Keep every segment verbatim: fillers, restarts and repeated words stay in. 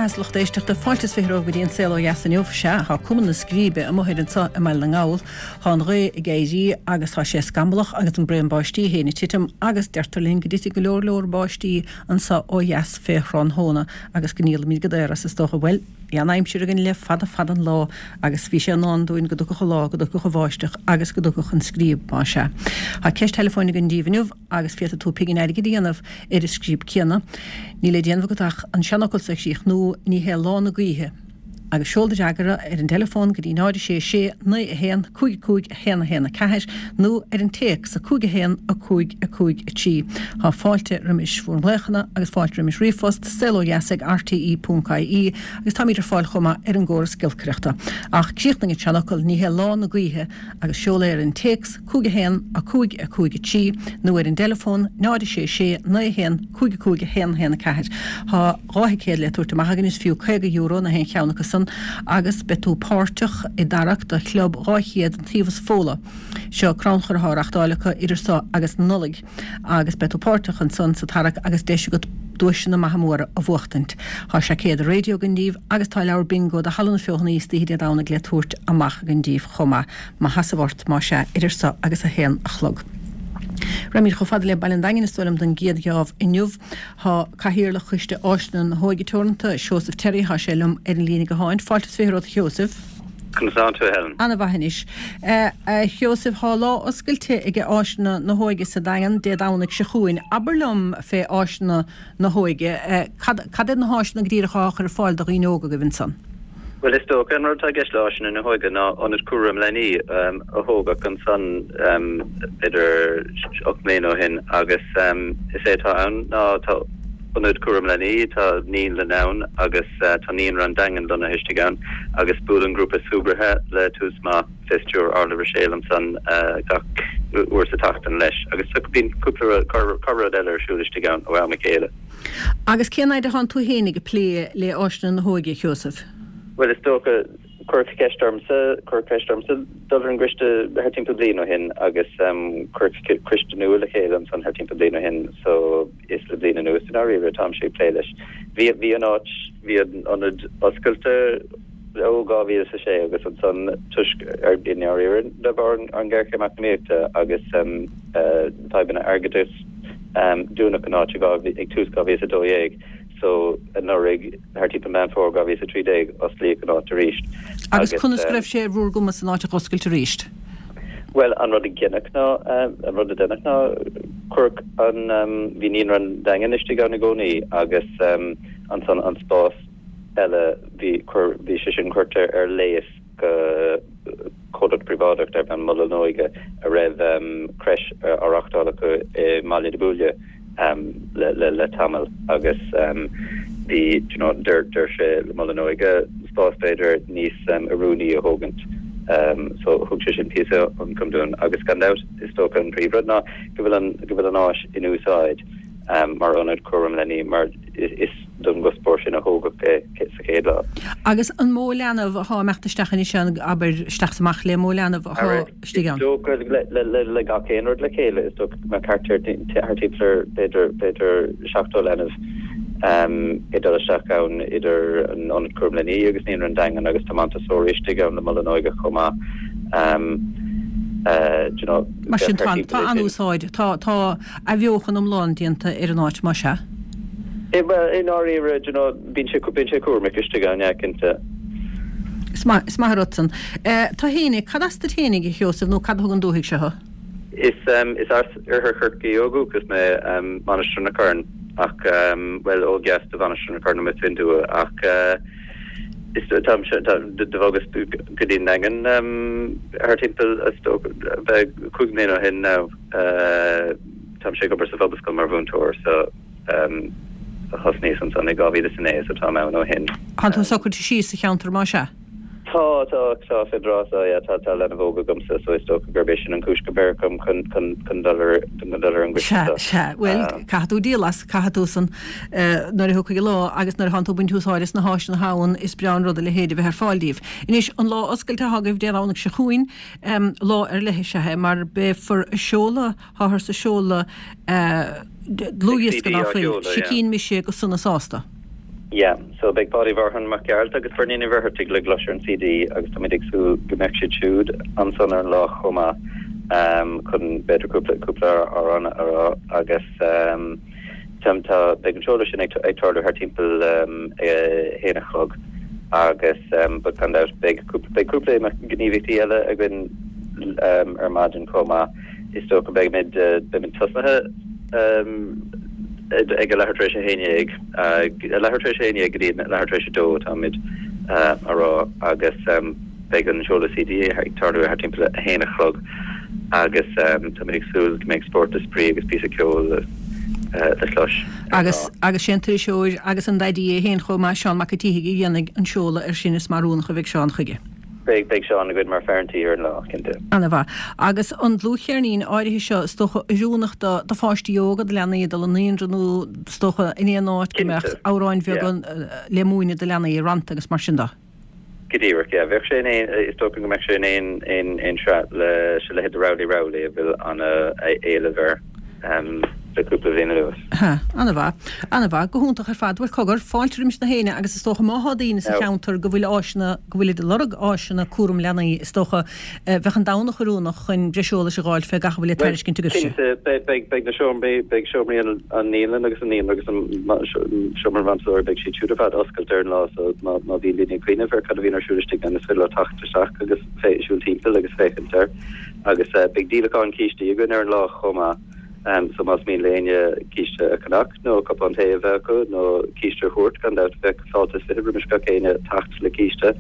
beatha, a lucht éisteachta, fáilte is fiche romhaibh go dtí an Saol Ó Dheas inniu. Sea, tá cuma na scríbe amuigh ar anseo i mBaile na nGall. Tá an ghaoth ag éirí agus tá sé scamallach agus an braon báistí féin ag titim agus deirtear linn go dtitfidh go leor leor báistí anseo ó dheas fé thráthnóna agus go ndíolfaimid go daor as is dócha. Bhuel, bhí an aimsir againn le fada fada an lá agus bhí sé i ndán dúinn go dtiocfadh an lá, go dtiocfadh an bháisteach agus go dtiocfadh an scríob, más ea. Tá ceist teileafóin againn daoibh inniu agus féadfaidh tú pingin airgid a dhéanamh ar an scríob céanna. Níl le déanamh agat ach an seanfhocal so a chríochnú, ní hé lá na gaoithe. Agus seol do fhreagra ar an dteileafón go dtí náid a sé sé naoi a haon cúig cúig a haon a haon a ceathair nó ar an téacs a cúig a haon a cúig a cúig a trí. Tá fáilte roimis bhur nglaochanna agus fáilte roimis ríomhphost, saolodheas ag rte ponc ie, agus táimid ar fáil chomh maith ar an gcóras giolcaireachta. Ach críochnaigh an seanfhocal, ní hé lá na gaoithe, agus seol é ar an téacs cúig a haon a cúig a cúig a trí nó ar an dteileafón náid a sé sé naoi a haon cúig a cúig a haon a haon a ceathair. Tá dhá thicéad le tabhairt amach againn is fiú caoga euro na haon cheann acu san agus beidh tú páirteach i dtarrac do Chlub dhá chéad an Taobh is Fódhla. Seo crannchur atá á reachtáil acu idir seo agus Nollaig agus beidh tú páirteach ansan sa tarrac agus deis agat duaiseanna maithe móra a bhuachtaint. Tá seaicéad raidió againn daoibh agus tá leabhar bingo do Halla na Feothanaí istoíche Dé Domhnaigh le tabhairt amach againn daoibh chomh maith. Má sheasamh ort, más ea, idir seo agus a haon a chlog. Raghaimid chomh fada le Baile an Daingin is dóigh liom don gcéad gheábh inniu. Tá Cathaoirleach Choiste Áiseanna na hÓige Teoranta, Seosamh Terry, tá sé liom ar an líne gutháin. Fáilte is fiche romhat a Sheosaimh. Conas tánn tú, a Helen? Ana-mhaith anois. A Sheosaimh, tá lá oscailte ag Áiseanna na hÓige sa Daingean Dé Domhnaigh seo chugainn. Abair liom fé Áiseanna na hÓige. Cad cad iad na háiseanna go díreach atá á chur ar fáil do dhaoine óga agaibh ansan? Bhuel, is dócha an rud atá i gceist le Áiseanna na hÓige ná ionad cúraim leanaí a tógadh ansan b'fhéidir ocht mbliana ó shin agus is é atá ann ná tá ionad cúraim leanaí, tá naíolann ann agus tá Naíonra an Daingin lonnaithe istigh ann agus buaileann grúpa súgartha le Tús Maith fé stiúir Orla Ruiséal ansan gach uair sa tseachtain leis agus bíonn cúpla corr-rud eile ar siúl istigh ann ó am a chéile. Agus cén fhaid a thánn tú féin ag plé le Áiseanna na hÓige, a Sheosaimh? Bhuel, is dócha, cuireadh ceist ormsa, cuireadh ceist ormsa dul ar an gcoiste thar timpeall bliain ó shin agus cuireadh coiste nua le chéile ansan thar timpeall bliain ó shin so is le bliain anuas i ndáiríre atáimse ag plé leis. Bhí, bhí an áit, bhí an ionad oscailte ó dhá mhíle is a sé agus ansan toisc, ar, i ndáiríre de bharr an ghéarchéim eacnamaíochta agus fadhbanna airgeadais dúnadh an áit ag tús dhá mhíle is a dó dhéag. So, anuraidh, thar timpeall Meán Fómhair dhá mhíle is a trí déag, osclaíodh an áit arís. Agus conas go raibh sé ar bhur gcumas an áit a dh'oscailt arís? Bhuel, an rud a deineadh ná, an rud a deineadh ná, cuireadh an, bhí Naíonra an Daingin istigh ann i gcónaí agus ansan an spás eile, bhí, chuir, bhí sé sin curtha ar léas go comhlacht príobháideach darb ainm Mol na hÓige a raibh crèche á reachtáil acu i mBaile na Buaile le tamall agus bhí you know d'oir sé le Mol na hÓige spás b'fhéidir níos oiriúnaí a thógaint so thug sé sin píosa ioncaim dúinn agus gan dabht is dócha an príomhrud ná go bhfuil an go bhfuil an áis in úsáid mar ionad cúraim leanaí mar is don gcuspóir sin a thógadh é sa chéad lá. Agus an mó leanbh athá ag imeacht isteach anois ann, abair, isteach 's amach le mó leanbh athá istigh ann? Is dócha le gach aon rud le chéile, is dócha go mbeadh thart ar, thart timpeall ar b'fhéidir, b'fhéidir seachtó leanbh ag dul isteach ann idir an Ionad Cúraim Leanaí agus Naíonra an Daingin agus tá Montessori istigh ann le Mol na hÓige chomh maith. Do you know, Mar sin tá, tá an-úsáid, tá, tá athbheochan iomlán déanta ar an áit, más ea? Bhuel, i ndáiríre, do you know, bíonn sé, bíonn sé cúramach istigh ann, yeah, cinnte. Is maith, is maith an rud san. Tú fhéinig, cad as duit fhéinig, a Sheosaimh, nó cad a thug an dúthaigh seo thú? Is, is as Oirthear Chorcaí ó dhúchas mé, Mainistir na Corann, ach, bhuel, ó dheas de Mhainistir na Corann, amuigh fén dtuath, ach is, táimse, tá, do bhogas go dtí an Daingean thar timpeall, is dócha, bheadh cúig mbliana ó shin now. Táimse ag obair sa Phobalscoil mar mhúinteoir so thosnaíos ansan i dhá mhíle is a naoi so táim ann ó shin. Tá tú socraithe síos sa cheantar más ea? Tá, tá, tá, féidir a rá so, yeah, tá, tá leanbh óg agamsa so is dócha gurb é sin an chúis gur beireadh orm chun, chun, chun dul ar, chun dul ar an gcoiste Sea, seo. sea, bhuel, caithfidh tú díol as, caithfidh tú san nuair a thiocfaidh an lá agus nuair atánn tú ag baint úsáid as na háiseanna atá ann is breá an rud a leithéid a bheith ar fáil daoibh. Anois, an lá oscailte atá agaibh Dé Domhnaigh seo chugainn, Lá ar leith is ea é mar beifear ag seoladh, táthar ag seoladh dlúthdhiosca ná fuil, Sicín Mise go Sona Sásta. Yeah, so beidh Páidí Mharthain Mac Gearailt agus Bernie Ní Mhuircheartaigh le gclois ar an CD agus táimid ag súil go mbeidh siad siúd ansan ar an lá chomh maith um, chun b'fhéidir cúpla cúpla amhrán a rá agus um, tá tá beidh an seoladh sin ag ag tarlú thar timpeall um, a haon a chlog agus um, but gan dabht beidh cúpla beidh cúpla gníomhaíochtaí eile againn um, ar maidin chomh maith is dócha beimid uh, beimid tosnaithe um, ag a leathuair tar éis a haon déag a leathuair tar éis a haon déag go dtí leathuair tar éis a dó táimid a rá agus beidh an seoladh CD ag tarlú thar timpeall a haon a chlog agus táimid ag súil go mbeidh spórt is spraoi agus píosa ceoil le clos. Agus agus sé an t-iriseoir agus an daidí é féin chomh maith Seán Mac an tSíthigh a dhéanfaidh an seoladh air sin is mar oiriúnach a bheidh Seán chuige. Beidh beidh Seán againn mar fear an tí ar an lá, cinnte. Ana-mhaith. Agus an dlúthcheirnín áirithe seo, is dócha, oiriúnach do do pháistí óga, do leanaí ag dul an naíonra nó is dócha in aon áit go mbeadh amhráin bheaga le múineadh do leanaí, rannta agus mar sin de. Go díreach, yeah. Bheadh sé in aon, is dócha go mbeadh sé in aon aon aon sraith leis a leithéid de Rowley Rowley a bhfuil ana-éileamh air. le cúpla bliain anuas. Ha, ana-mhaith. Ana-mhaith. Go hiontach ar fad. Bhuel, cogar, fáilte roimis na héinne agus is dócha má thá daoine sa cheantar go bhfuil áiseanna, go bhfuilid ag lorg áiseanna cúram leanaí, is dócha, bheadh an Domhnach oiriúnach chun breis eolais a dh'fháil fé gach a bhfuil le tairiscint agaibhse. Cinnte, beidh, beidh, beidh na seomraí, beidh seomraí an, an naíolann agus an naíonra agus an seomra Montessori, beidh siad siúd ar fad oscailte ar an lá so má, má bhíonn daoine ag cuimhneamh ar cad a bhíonn ar siúl istigh ann is féidir leo teacht isteach agus fé, siúl timpeall agus féachaint air. Agus beidh díolachán cístí againn ar an lá chomh maith. So más mian le éinne císte a cheannach nó cupán tae a bheith acu nó císte a thabhairt, gan dabht bheadh fáilte is fiche roimis gach éinne teacht le císte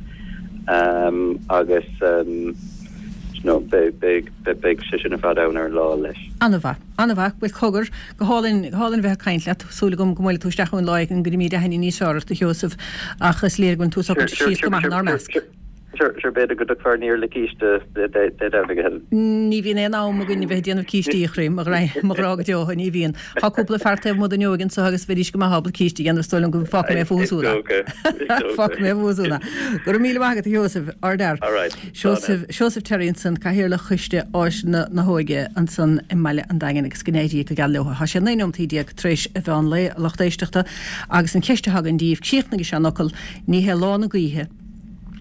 agus you know beidh beidh beidh sé sin ar fad ann ar an lá leis. An-mhaith. An-mhaith. Bhuel cogar, go hálainn, go hálainn bheith ag caint leat. Súil agam go mbuailfidh tú isteach chugainn lá éigin go gcuirfimid aithne níos fearr ort, a Sheosaimh, ach is léir go bhfuil tú socraithe síos go maith inár measc. Sure, sure, b'fhéidir go dtiocfar aniar le císte Dé Domhnaigh a Helen. Ní bhíonn aon am againn a bheith ag déanamh cístí, a chroí, mo ghrá go deo, ní bhíonn. Tá cúpla fear taobh amuigh d'fhuinneoig anseo agus bheidís go maith ábalta císte a dhéanamh, is dóigh liom go bhfágfaidh mé fúthu siúd é. Fágfaidh mé fúthu siúd é. Go raibh míle maith agat, a Sheosaimh, ardfhear. Seosamh, Seosamh Terry ansan, Cathaoirleach Choiste Áiseanna na hÓige ansan i mbaile an Daingin agus go n-éirí go geal leo. Tá sé naoi nóimeataí déag tar éis a mheán lae, a lucht éisteachta, agus an cheist atá againn daoibh, críochnaigh an seanfhocal, ní hé lá na gaoithe,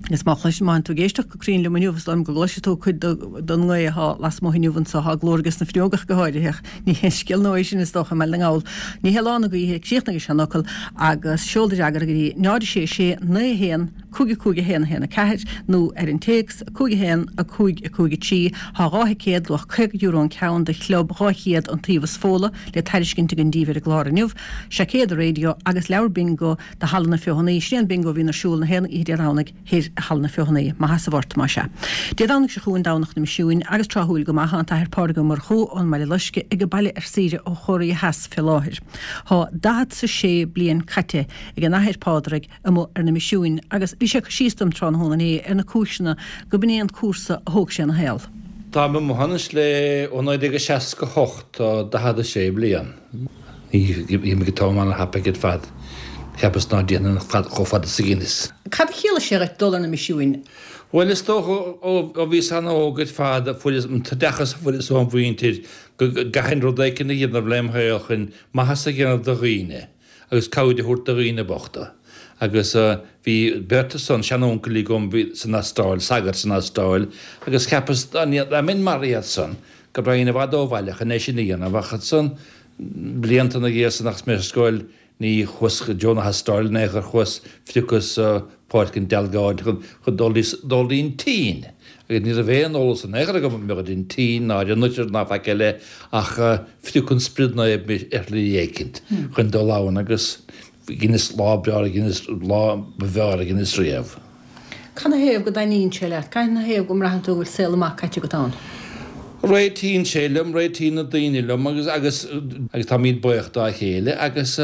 Agus má chloiseann, má tánn tú ag éisteacht go cruinn liom inniu, is dóigh liom go gcloisfidh tú cuid den ngaoth atá lasmuigh inniu anseo, tá glór ages na fuinneoga go háirithe, ach ní haon scéal nua é sin is dócha i mBaile na nGall. Ní hé lá na gaoithe, críochnaigh an seanfhocal agus seol do fhreagra go dtí náid a sé sé naoi a haon cúig a cúig a haon a haon a ceathair nó ar an téacs a cúig a haon a cúig a cúig a trí. Tá dhá thicéad, luach caoga euro an ceann, do Chlub dhá chéad an Taobh is Fódhla le tairiscint againn daoibh ar an gclár inniu, seaicéad raidió agus leabhar bingo do Halla na Feothanaí. Sin é an bingo a bhíonn ar siúl na haon oíche Dé Domhnaigh thoir i Halla na Feothanaí. Maith as a bhfort, más ea. Dé Domhnaigh seo chugainn, Domhnach na Misiúin, agus tráthúil go maith, tá an tAthair Pádraig Ó Murchú ón mBaile Loiscthe ag baile ar saoire ó Chóiréa Theas fé láthair. Tá daichead 's a sé bliain caite ag an Athair Pádraig amuigh ar na misiúin agus bhí sé ag cur síos dom tráthnóna inné ar na cúiseanna go b'in é an cúrsa a thóg sé ina shaol. Táim amuigh anois le ó naoi déag a seasca hocht, tá daichead a sé bliain. Bhí mé ag an t-am ana-thapaidh ar fad. Cheapas ná déanfainn chomh fada is a dheineas. Cad a chiallaigh sé dhuit dul ar na misiúin? Bhuel, is dócha ó bhíos an-óg ar fad a fuaireas an t-oideachas a fuaireas óm mhuintir go gcaithfinn rud éicint a dhéanamh lem shaol chun maitheas a dhéanamh do dhaoine agus cabhair a thabhairt do dhaoine bochta. Agus bhí beirt ansan, seanúncailí agam san Astráil, sagairt san Astráil, agus cheapas dá mbeinn mar iad san go raghainn i bhfad ó bhaile chun é sin a dhéanamh ach ansan blianta ina dhiaidh san agus mé ar scoil ní chuas go dtí na hAstráile in aon chor chuas phiocas Páirc an Dealgáin chun dul dul dtí'n tSín agus ní raibh aon eolas in aon chor agam ar an tSín ná ar an oirthear ná faic eile ach phrioc an Sprid Naomh mé ar shlí éicint chun dul ann agus dheineas lá breá dheineas lá ba bhfearr a dheineas riamh. Cad 'na thaobh go dtaitníonn sé leat? Cad 'na thaobh go mbraitheann tú go bhfuil saol maith caite agat ann? Réitíonn sé liom, réitíonn na daoine liom agus agus agus táimid buíoch dá chéile agus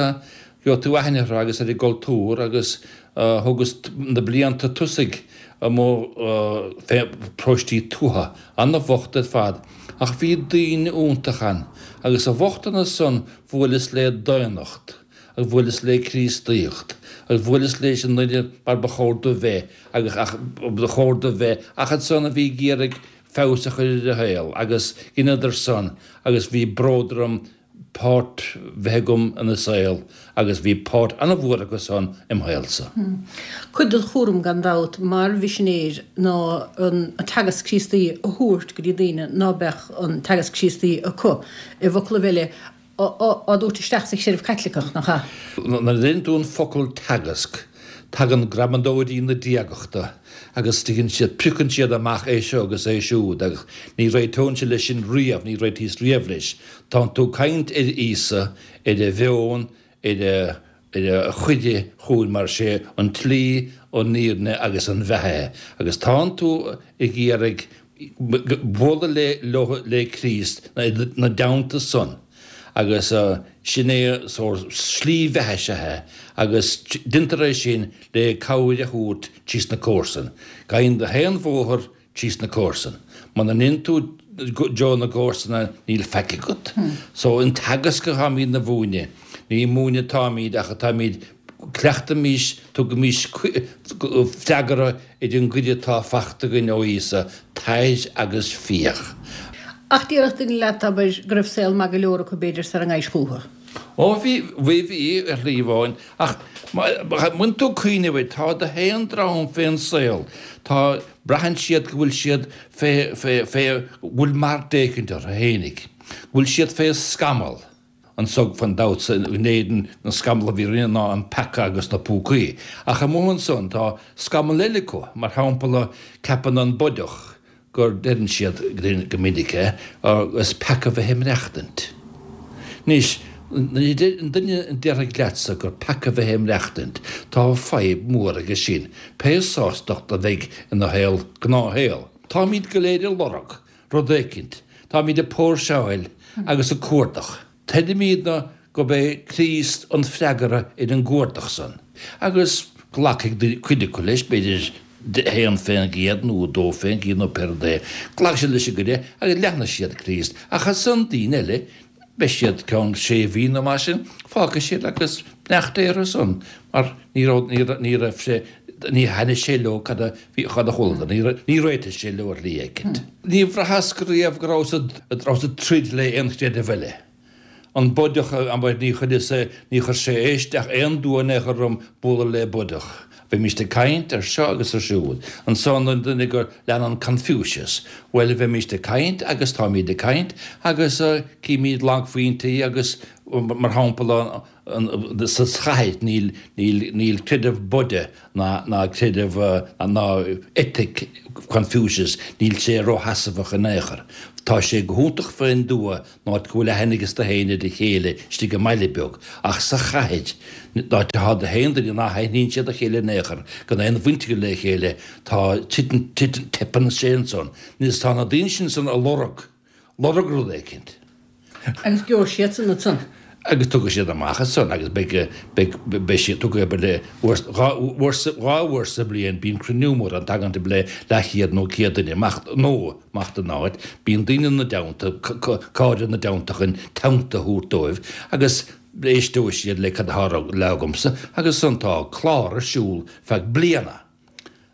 gheobhaidh tú aithne orthu agus ar a gcultúr agus thugas na blianta tosaigh amuigh fé paróistí tuaithe, ana-bhocht ar fad ach bhí daoine iontach ann agus sa bhochtanas san bhuaileas le daonnacht agus bhuaileas le Críostaíocht agus bhuaileas leis an nduine mar ba chóir do bheith agus ach ba chóir do bheith ach ansan a bhí ag iarraidh feabhas a chur ar a shaol agus dheineadar san agus bhí bród orm páirt bheith agam ina saol agus bhí páirt an-mhór acu san im shaolsa. Cuid den chúram gan dabht mar mhisinéir ná an teagasc Críostaí a thabhairt go dtí daoine ná beadh an teagasc Críostaí acu. I bhfoclaibh eile, á dtabhairt isteach sa chreideamh Caitliceach, nach ea? Nuair a deireann tú an focal teagasc, tagann gramadóirí na diagachta agus tuigeann siad, piocann siad amach é seo agus é siúd agus ní réiteoinnse leis sin riamh, ní réitíos riamh leis. Tánn tú ag caint ar Íosa, ar a mheon, ar a ar a chuireadh chugainn mar sé an tslí, an fhírinne agus an bheatha é. Agus tánn tú ag iarraidh bualadh le leo le Críost ina dteannta san agus sin é sórt slí bheatha is ea é agus deintear é sin le cabhair a thabhairt trí sna comharsain. Gabhann do haon bhóthar trí sna comharsain. Muna ndéanann tú dtreo na gcomharsana níl faic agat. So an teagasc atáimid a mhúineadh, ní múineadh atáimid ach atáimid Cleachtaimís, tugaimís freagra ar an gcuireadh atá fachta againn ó Íosa, Tar agus féach. Ach déarfadh duine leat, abair, go raibh saol maith go leor acu b'fhéidir sara ngabhais chúthu. Ó bhí, bhí, bhí, ar shlí amháin. Ach má bhíonn tú ag cuimhneamh air, tá do haon dream fén saol, tá, braitheann siad go bhfuil siad fé, fé, fé, go bhfuil mart éicint orthu fhéinig, go bhfuil siad fé scamall. Anso gan dabht in Éirinn an scamall a bhí orainne ná an peaca agus na púcaí. Ach amuigh ansan tá scamall eile acu, mar shampla ceapann an Bodach gur, deireann siad go minic é, is peaca bheith ag maireachtaint. Anois, an duine a déarfaidh leatsa gur peaca bheith ag maireachtaint, tá fadhb mhór aige sin, pé sástacht a bheidh ina shaol, gnáthshaol. Táimid go léir ag lorg rud éicint, táimid ag póirseáil agus ag cuardach. Tuigimidne gurb é Críost an freagra ar an gcuardach san, agus glacfaidh cuid acu leis, b'fhéidir haon fén gcéad nó dó fén gcéad nó pé rud é, glacfaidh siad leis an gcuireadh agus leanfaidh siad Críost. Ach ansan daoine eile, beidh siad ceann sé mhí nó mar sin, fágfaidh siad agus beannacht Dé orthu san, mar ní raibh, ní raibh sé, ní thaitnigh sé leo cad a bhí, cad a chualadar, ní, ní réitigh sé leo ar shlí éicint. Ní bhraitheas go riamh go rabhas, rabhas ag troid le aon chreideamh eile. An Bodach, abair, ní chuireas, ní chuir sé isteach aon dua in aon chor orm bualadh le Bodach. Bheimíst ag caint ar seo agus ar siúd. Ansan an duine gur leanann Confucius, bhuel, bheimíst ag caint agus táimíd ag caint agus címíd lagphointí agus, mar shampla, sa chathair níl, níl, níl creideamh Buddha ná, ná creideamh, ná eitic Confucius, níl sé rósheasmhach in aon chor. Tá sé go hiontach fén dtuath an áit go bhfuil aithne ages do haon ar a chéile istigh i mbaile beag, ach sa chathair, an áit atá do haon duine ná haithníonn siad a chéile in aon chor, gan aon bhaint acu le chéile, tá, titeann, titeann, teipeann sé ansan. Is tá na daoine sin san ag lorg, lorg rud éicint. Agus gheobhaidh siadsan ansan. Agus tiocfaidh siad amach ansan agus beidh, beidh, beidh siad, tiocfaidh abair le uair, dhá uair sa, dhá uair sa bhliain bíonn cruinniú mór ann, tagann timpeall le leathchéad nó céad duine amach, nó amach don áit, bíonn daoine ina dteannta, cairde ina dteannta chun teannta a thabhairt dóibh agus éisteoidh siad le cad atá le rá agamsa agus ansan tá clár ar siúl feadh bliana.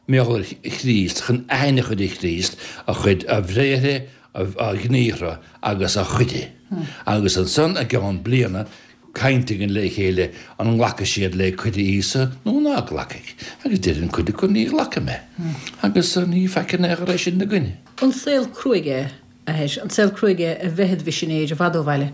Mar gheall ar Chríost, chun aithne a chur ar Chríost, a chuid, a bhréithre, a ghníomhartha agus a chuireadh. Agus ansan i gceann bliana, caint againn le chéile an nglacfaidh siad le cuireadh Íosa nó ná glacfaidh. Agus deireann cuid acu ní ghlacfaidh mé. Agus ní faic in aon chor é sin ina gcoinne. An saol cruaidh é, a Athair, an saol cruaidh é a bheith id mhisinéir i bhfad ó bhaile?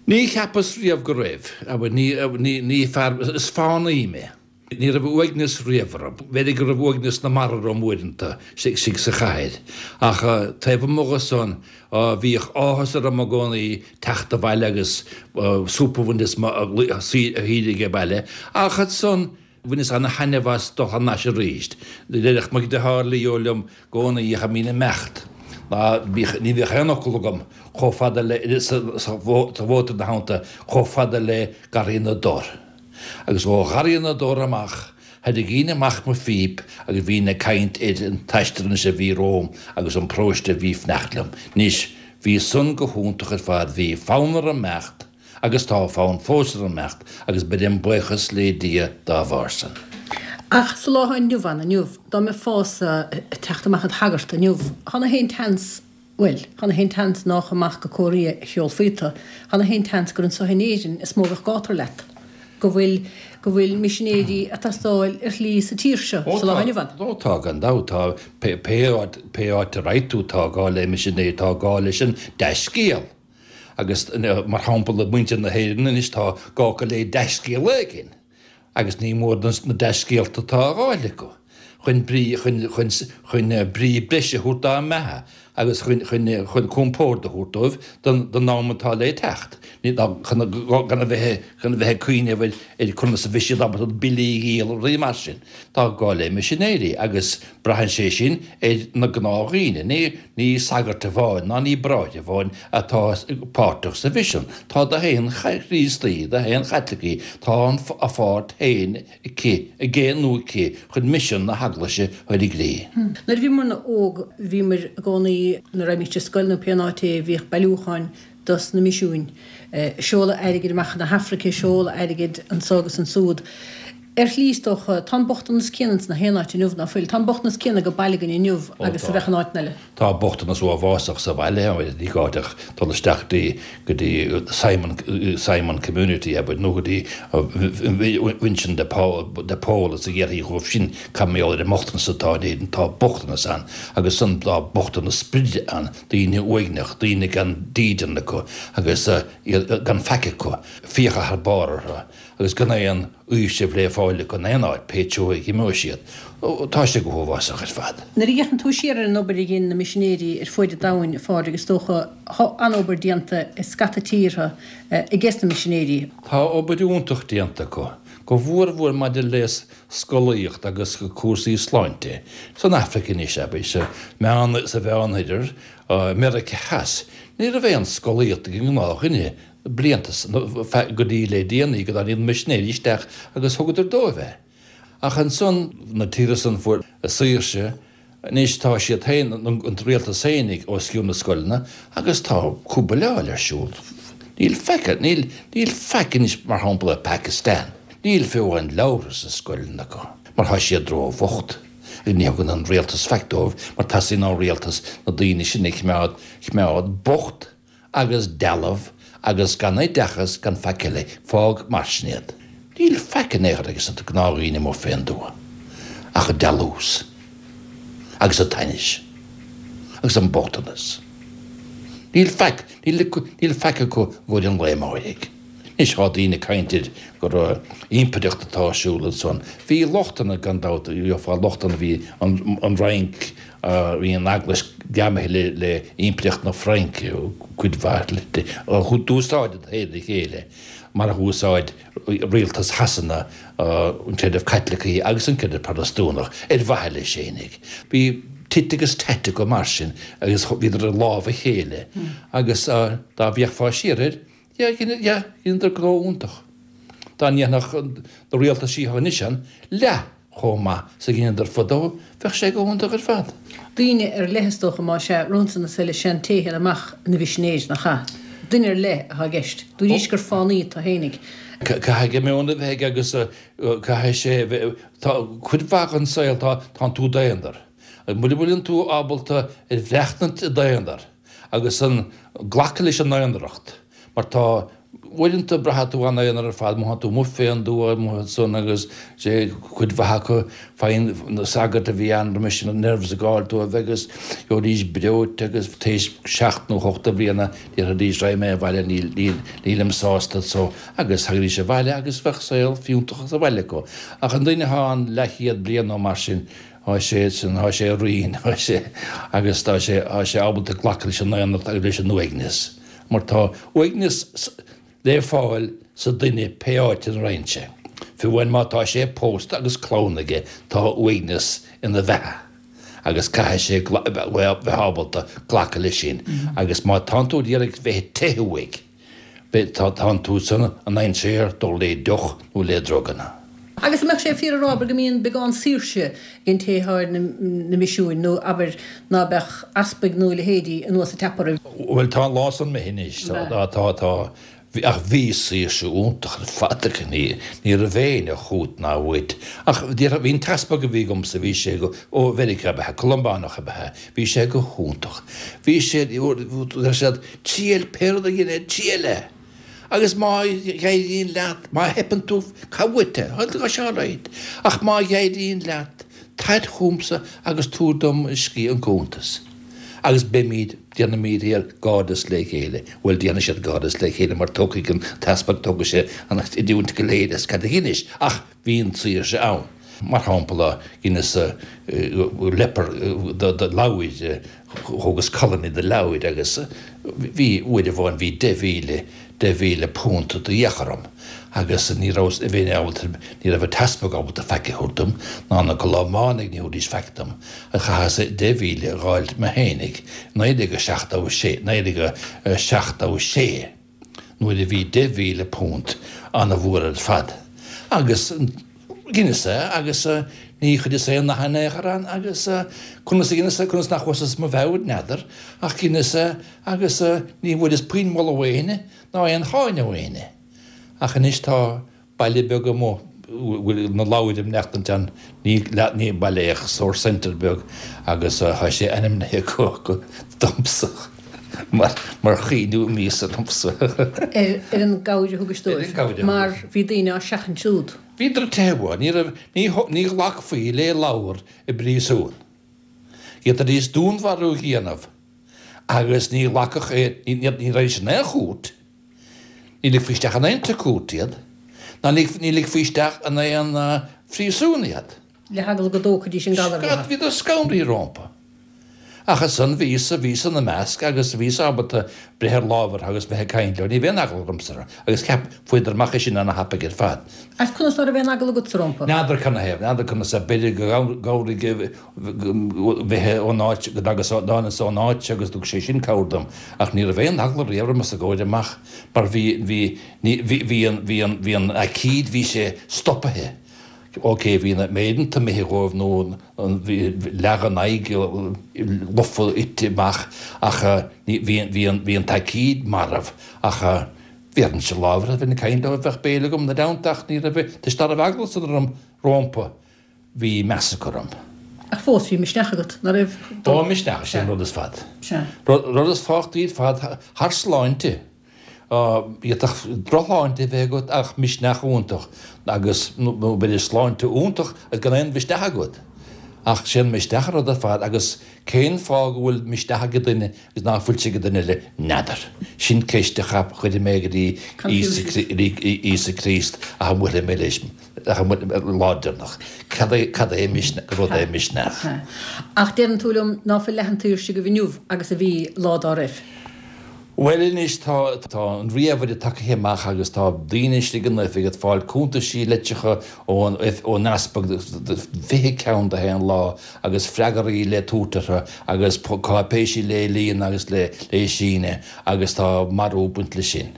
Ní cheapas riamh go raibh. Abair, ní, ní, ní fear, is fánaí mé. Ní raibh uaigneas riamh orm. B'fhéidir go raibh uaigneas na marbh orm uaireanta istigh sa chathair, ach taobh amuigh dhe san, bhíodh áthas orm i gcónaí teacht abhaile agus súp a bhaint as mo shaoire age baile. Ach ansan, bhaineas ana-thaitneamh as dul thar n-ais arís. Déarfadh mo dheartháir Leo liom i gcónaí cha mbínn ag imeacht ná ní bhíodh aon fhocal agam chomh fada le, sa mhótar ina theannta, chomh fada le Garraí na dTor. Agus ó Gharraí na dTor amach, tharraingínn amach mo phíp agus bhínn ag caint ar an t-aistear anois a bhí romham agus an paróiste a bhí fanacht liom. Anois, bhí san go hiontach ar fad, bhí fonn orm imeacht agus tá fonn fós orm imeacht agus beirim buíochas le Dia dá bharr san. Ach sa lá atá inniu ann inniu, dá mbeifeása ag teacht amach id shagart inniu, thá na haon tseans Bhuel, chan é aon tseans nách amach go Cóiréa a sheolfaí tú, chan é aon tseans gur anso in Éirinn is mó a bheadh gátar leat, go bhfuil, go bhfuil misinéirí ag teastáil ar shlí sa tír seo sa lá inniu ann. Ó tá, gan dabht, tá, pé, pé áit, pé áit a raghaidh tú tá gá le misinéirí, tá gá leis an dea-scéal. Agus mar shampla muintir na hÉireann anois tá gá acu le dea-scéal éigin. Agus ní mór na dea-scéalta atá á fháil acu. chun brí, chun, chun, chun brí breise a thabhairt dá mbeatha agus chun, chun, chun compord a thabhairt dóibh don, don am atá le teacht. Ní, ná, chun, gan a bheith, chun a bheith ag cuimhneamh ar, ar conas a bheidh siad ábalta billí a dhíol, rudaí mar sin. Tá gá le misinéirí agus braitheann sé sin ar na gnáthdhaoine. Ní, ní sagairt amháin ná ní bráithre amháin atá páirteach sa mhisean. Tá d'aon Chríostaí, d'aon Chaitlicigh, tá an, a pháirt féin aici, aige nó aici chun misean na hEaglaise a chur i gcrích. Nuair a bhíomarna óg, bhíomar i gcónaí, nuair a raghaimís ar scoil nó pé áit é, bhíodh bailiúcháin dos na misiúin. Seoladh airgid amach chun na hAfraice, seoladh airgid anso agus ansúd. Ar shlí, is dócha, tá an bochtanas céanna ins na haon áit inniu, ná fuil? Tá an bochtanas céanna go baile againn inniu agus a bheadh in áiteanna eile. Tá bochtanas uafásach sa bhaile, ní gá duit ach dul isteach go dtí Simon, Simon Community, abair, nó go dtí Vincent de Paul, de Paul is a dhéarfaí dhóibh sin cad mar gheall ar an mbochtanas atá in Éirinn. Tá bochtanas ann agus san tá bochtanas sprid ann, daoine uaigneach, daoine gan dídean acu agus gan faic acu, fiacha thar barr orthu agus gan aon fhaoiseamh le fáil acu in aon áit, pé treo a imeoidh siad. Tá sé go huafásach ar fad. Nuair a fhéachann tú siar ar an obair a dhein na misinéirí ar fuaid an domhain, a Phádraig, is dócha, tá an-obair déanta i scata tíortha ages na misinéirí. Tá obair iontach déanta acu, go mhórmhór maidir le scolaíocht agus cúrsaí sláinte. San Afraic anois, abair, sa Meán, sa Mheánoirthear, i Meiriceá Theas, ní raibh aon scolaíocht ag an ngnáthdhuine blianta go dtí le déanaí go dtáinig na misinéirí isteach agus thugadar dóibh é. Ach ansan, na tíortha san fuair a saoirse, anois tá siad féin, an rialtas féinig, os cionn na scoileanna agus tá cúbaileáil ar siúl. Níl faic, níl, níl faic anois mar shampla i Pakistan. Níl fiú amháin leabhartha sna scoileanna acu mar tá siad ró-bhocht. Ní thugann an rialtas faic dóibh mar teastaíonn ón rialtas na daoine sin a choimeád, choimeád bocht agus dealbh agus gan oideachas gan faic eile, fág mar sin iad. Níl faic in aon chor ages na gnáthdhaoine amuigh fén dtuath ach an dealús agus an t-ainnis agus an bochtanas. Níl faic, níl, níl faic acu i gcomhair an lae amáirigh. Anois tá daoine ag caint ar gur impireacht atá ar siúl ansan. Bhí lochtanna gan dabht, gheofá lochtanna, bhí an, an Fhrainc, bhí an Eaglais greamaithe le, le impireacht na Fraince, cuid mhaith di. D'úsáideadar a chéile mar a dh'úsáid rialtas Shasana an creideamh Caitliceach agus an creideamh Protastúnach ar mhaithe leis fhéinig. Bhí tit agus tat acu mar sin agus bhíodar i lámh a chéile agus dá bhféachfá siar air, dheineadar gnó iontach. Dá ndéanfadh na rialtaisí atá anois ann leath chomh maith 's a dheineadar fadó, bheadh sé go hiontach ar fad. Duine ar leith is dócha, más ea, romhatsa na soile sé an té a théann amach ina mhisinéir, nach ea? Duine ar leith atá i gceist. Dúraís gur fánaí atá fhéinig. Caithfidh meon a bheith aige agus caithfidh sé a bheith, tá cuid mhaith den saol, tá, tánn tú d'aonar. Mura bhfuileann tú ábalta ar bhreathnaint i d'aonar agus an glacadh leis an aonaracht, mar tá, uaireanta braitheann tú an-aonar ar fad, mothaíonn tú amuigh fén dtuath, amuigh ansan agus sé cuid mhaith acu, faigheann na sagairt a bhí ann roimis na nerves ag gabháil dóibh agus gheobhaidís breoite agus théis seacht nó hocht de bhliana déarfaidís raghaidh mé abhaile níl, níl, nílim sásta so agus thagaidís abhaile agus bheadh saol fiúntach sa bhaile acu. Ach an duine atá ann leathchéad bliain nó mar sin, Tá sé sin, tá sé righin, tá sé, agus tá sé, tá sé ábalta glacadh leis an aonaracht agus leis an uaigneas. Mar tá uaigneas le fáil sa duine pé áit ina raibh sé. Fiú amháin má tá sé pósta agus clann aige, tá uaigneas ina bheatha agus caithfidh sé bheith ábalta glacadh leis sin. Agus má tánn tú ag iarraidh bheith ag teitheadh uaidh, Tá tú san i ndainséar dul le deoch nó le druganna. Agus an mbeadh sé fíor a rá, abair, go mbíonn beagán saoirse ag an té atá ar na misiúin, nó abair, ná beadh easpaig nó a leithéidí anuas ag teapadh oraibh? Bhuel, tá an lá san imithe anois. Tá, tá, tá. Ach bhí saoirse iontach ar fad acu, ní ní raibh éinne chút ná uait. Ach bhí an t-easpag a bhí agamsa, bhí sé go, ó Mheiriceá ab ea, Columbánach ab ea, bhí sé go hiontach. Bhí sé, deir siad, triail pé rud a dhéanamh, triail é! Agus má éiríonn leat, má theipeann tú, cá uait é, tá sé alright. Ach má éiríonn leat, tar chugamsa agus tabhair dom an cuntas. Agus beimid, déanfaimid iar gcairdeas le chéile. Bhuel, déanfaidh siad cairdeas le chéile mar tógfaidh an t-easpag, tógfaidh sé an chreidiúint go léir as cad a dheinis. Ach bhí an tsaoirse ann. Mar shampla, dheineas leper de leabhair, thógas colony de leabhair agus bhí, uair amháin bhí deich mhíle, deich mhíle punt d'fhiach orm agus ní raibh, bheinn ábalta, ní raibh an t-easpag ábalta faic a thabhairt dom, ná na Colómánaigh, ní thabharfaidís faic dom. Chaitheas deich mhíle a dh'fháilt mé fhéinig, naoi déag a seachtó a sé, naoi déag a seachtó a sé, nuair a bhí deich mhíle punt ana-mhór ar fad. Agus dheineas é agus ní chuireas aon nath in aon chor ann agus conas a dheineas é, conas nach bhfuasas mo mheabhair, n'fheadar, ach dheineas é agus ní bhfuaireas puinn moladh ó éinne ná aon cháineadh ó éinne. Ach anois tá baile beag amuigh bhfuil na leabhair ag maireachtaint ann, ní ní baile é ach sórt centre beag agus tá sé ainmnithe acu domsa mar mar chuimhniú míosa domsa. Ar ar an gcabhair a thugais Ar an dóibh, gcabhair a mar thugais. bhí daoine á seachaint siúd. Bhíodar ag teitheadh uaidh, ní raibh ní ní ghlacfaí le leabhar i bpríosún. D'fhéadfaidís dúnmharú a dhéanamh agus ní ghlacfadh é, ní ní raghaidís in aon chúirt. Ní ligfí isteach in aon tigh cúirte iad, ná ní ligfí isteach in aon phríosún iad. Le heagla go dtógfaidís an galar uathu. Bhíodar scanraithe rompu. Ach ansan bhíos-sa, bhíos ina measc agus bhíos ábalta breith ar lámh orthu agus bheith ag caint leo. Ní bheadh aon eagla ormsa orthu agus cheap, fuaireadar amach é sin ana-thapaidh ar fad. Ach conas ná raibh aon eagla agatsa rompu? N'fheadar canathaobh, n'fheadar conas, b'fhéidir go gcabhraigh bheith ón áit, go dtagas, dtánas ón áit agus thug sé sin cabhair dom. Ach ní raibh aon eagla riamh orm os a gcomhair amach mar bhí, bhí, ní, bhí, bhí an, bhí an, bhí an aicíd, bhí sé stopaithe. Ok, bhí na méireanta imithe dhóibh nó bhí leath den aghaidh lofa ite amach ach ní, bhí, bhí an, bhí an t-aicíd marbh ach bhéarfainnse lámh orthu, bheinn ag caint leo, bheadh béile agam ina dteannta ach ní raibh, toisc ná raibh eagla san orm rómpa, bhí meas acu orm. Ach fós bhí misneach agat, ná raibh? Ó, misneach, sin an rud is fad. Sea. Rud, rud is tábhachtaí ar fad thar sláinte. D'fhéadfadh drochshláinte a bheith agat ach misneach iontach agus, nó b'fhéidir sláinte iontach agus gan aon mhisneach agat. Ach sé an misneach an rud ar fad agus cén fáth go bhfuil misneach ag duine agus ná fuil sé ag duine eile, n'fheadar. Sin ceist a chuirfidh mé go dtí Íosa Críost ach a mbuailfidh mé leis lá deireanach. Cad é, cad é misneach, rud é misneach? Ach deireann tú liom ná fuil leath an tsaoirse agaibh inniu agus a bhí lá dá raibh. Bhuel anois tá tá an ríomhaire tagaithe amach agus tá daoine istigh in oifig ag fáil cuntaisí litreacha ón ón easpag fiche ceann de haon lá agus freagraí le tabhairt orthu agus cáipéisí le líonadh agus le le síneadh agus tá marú ag baint leis sin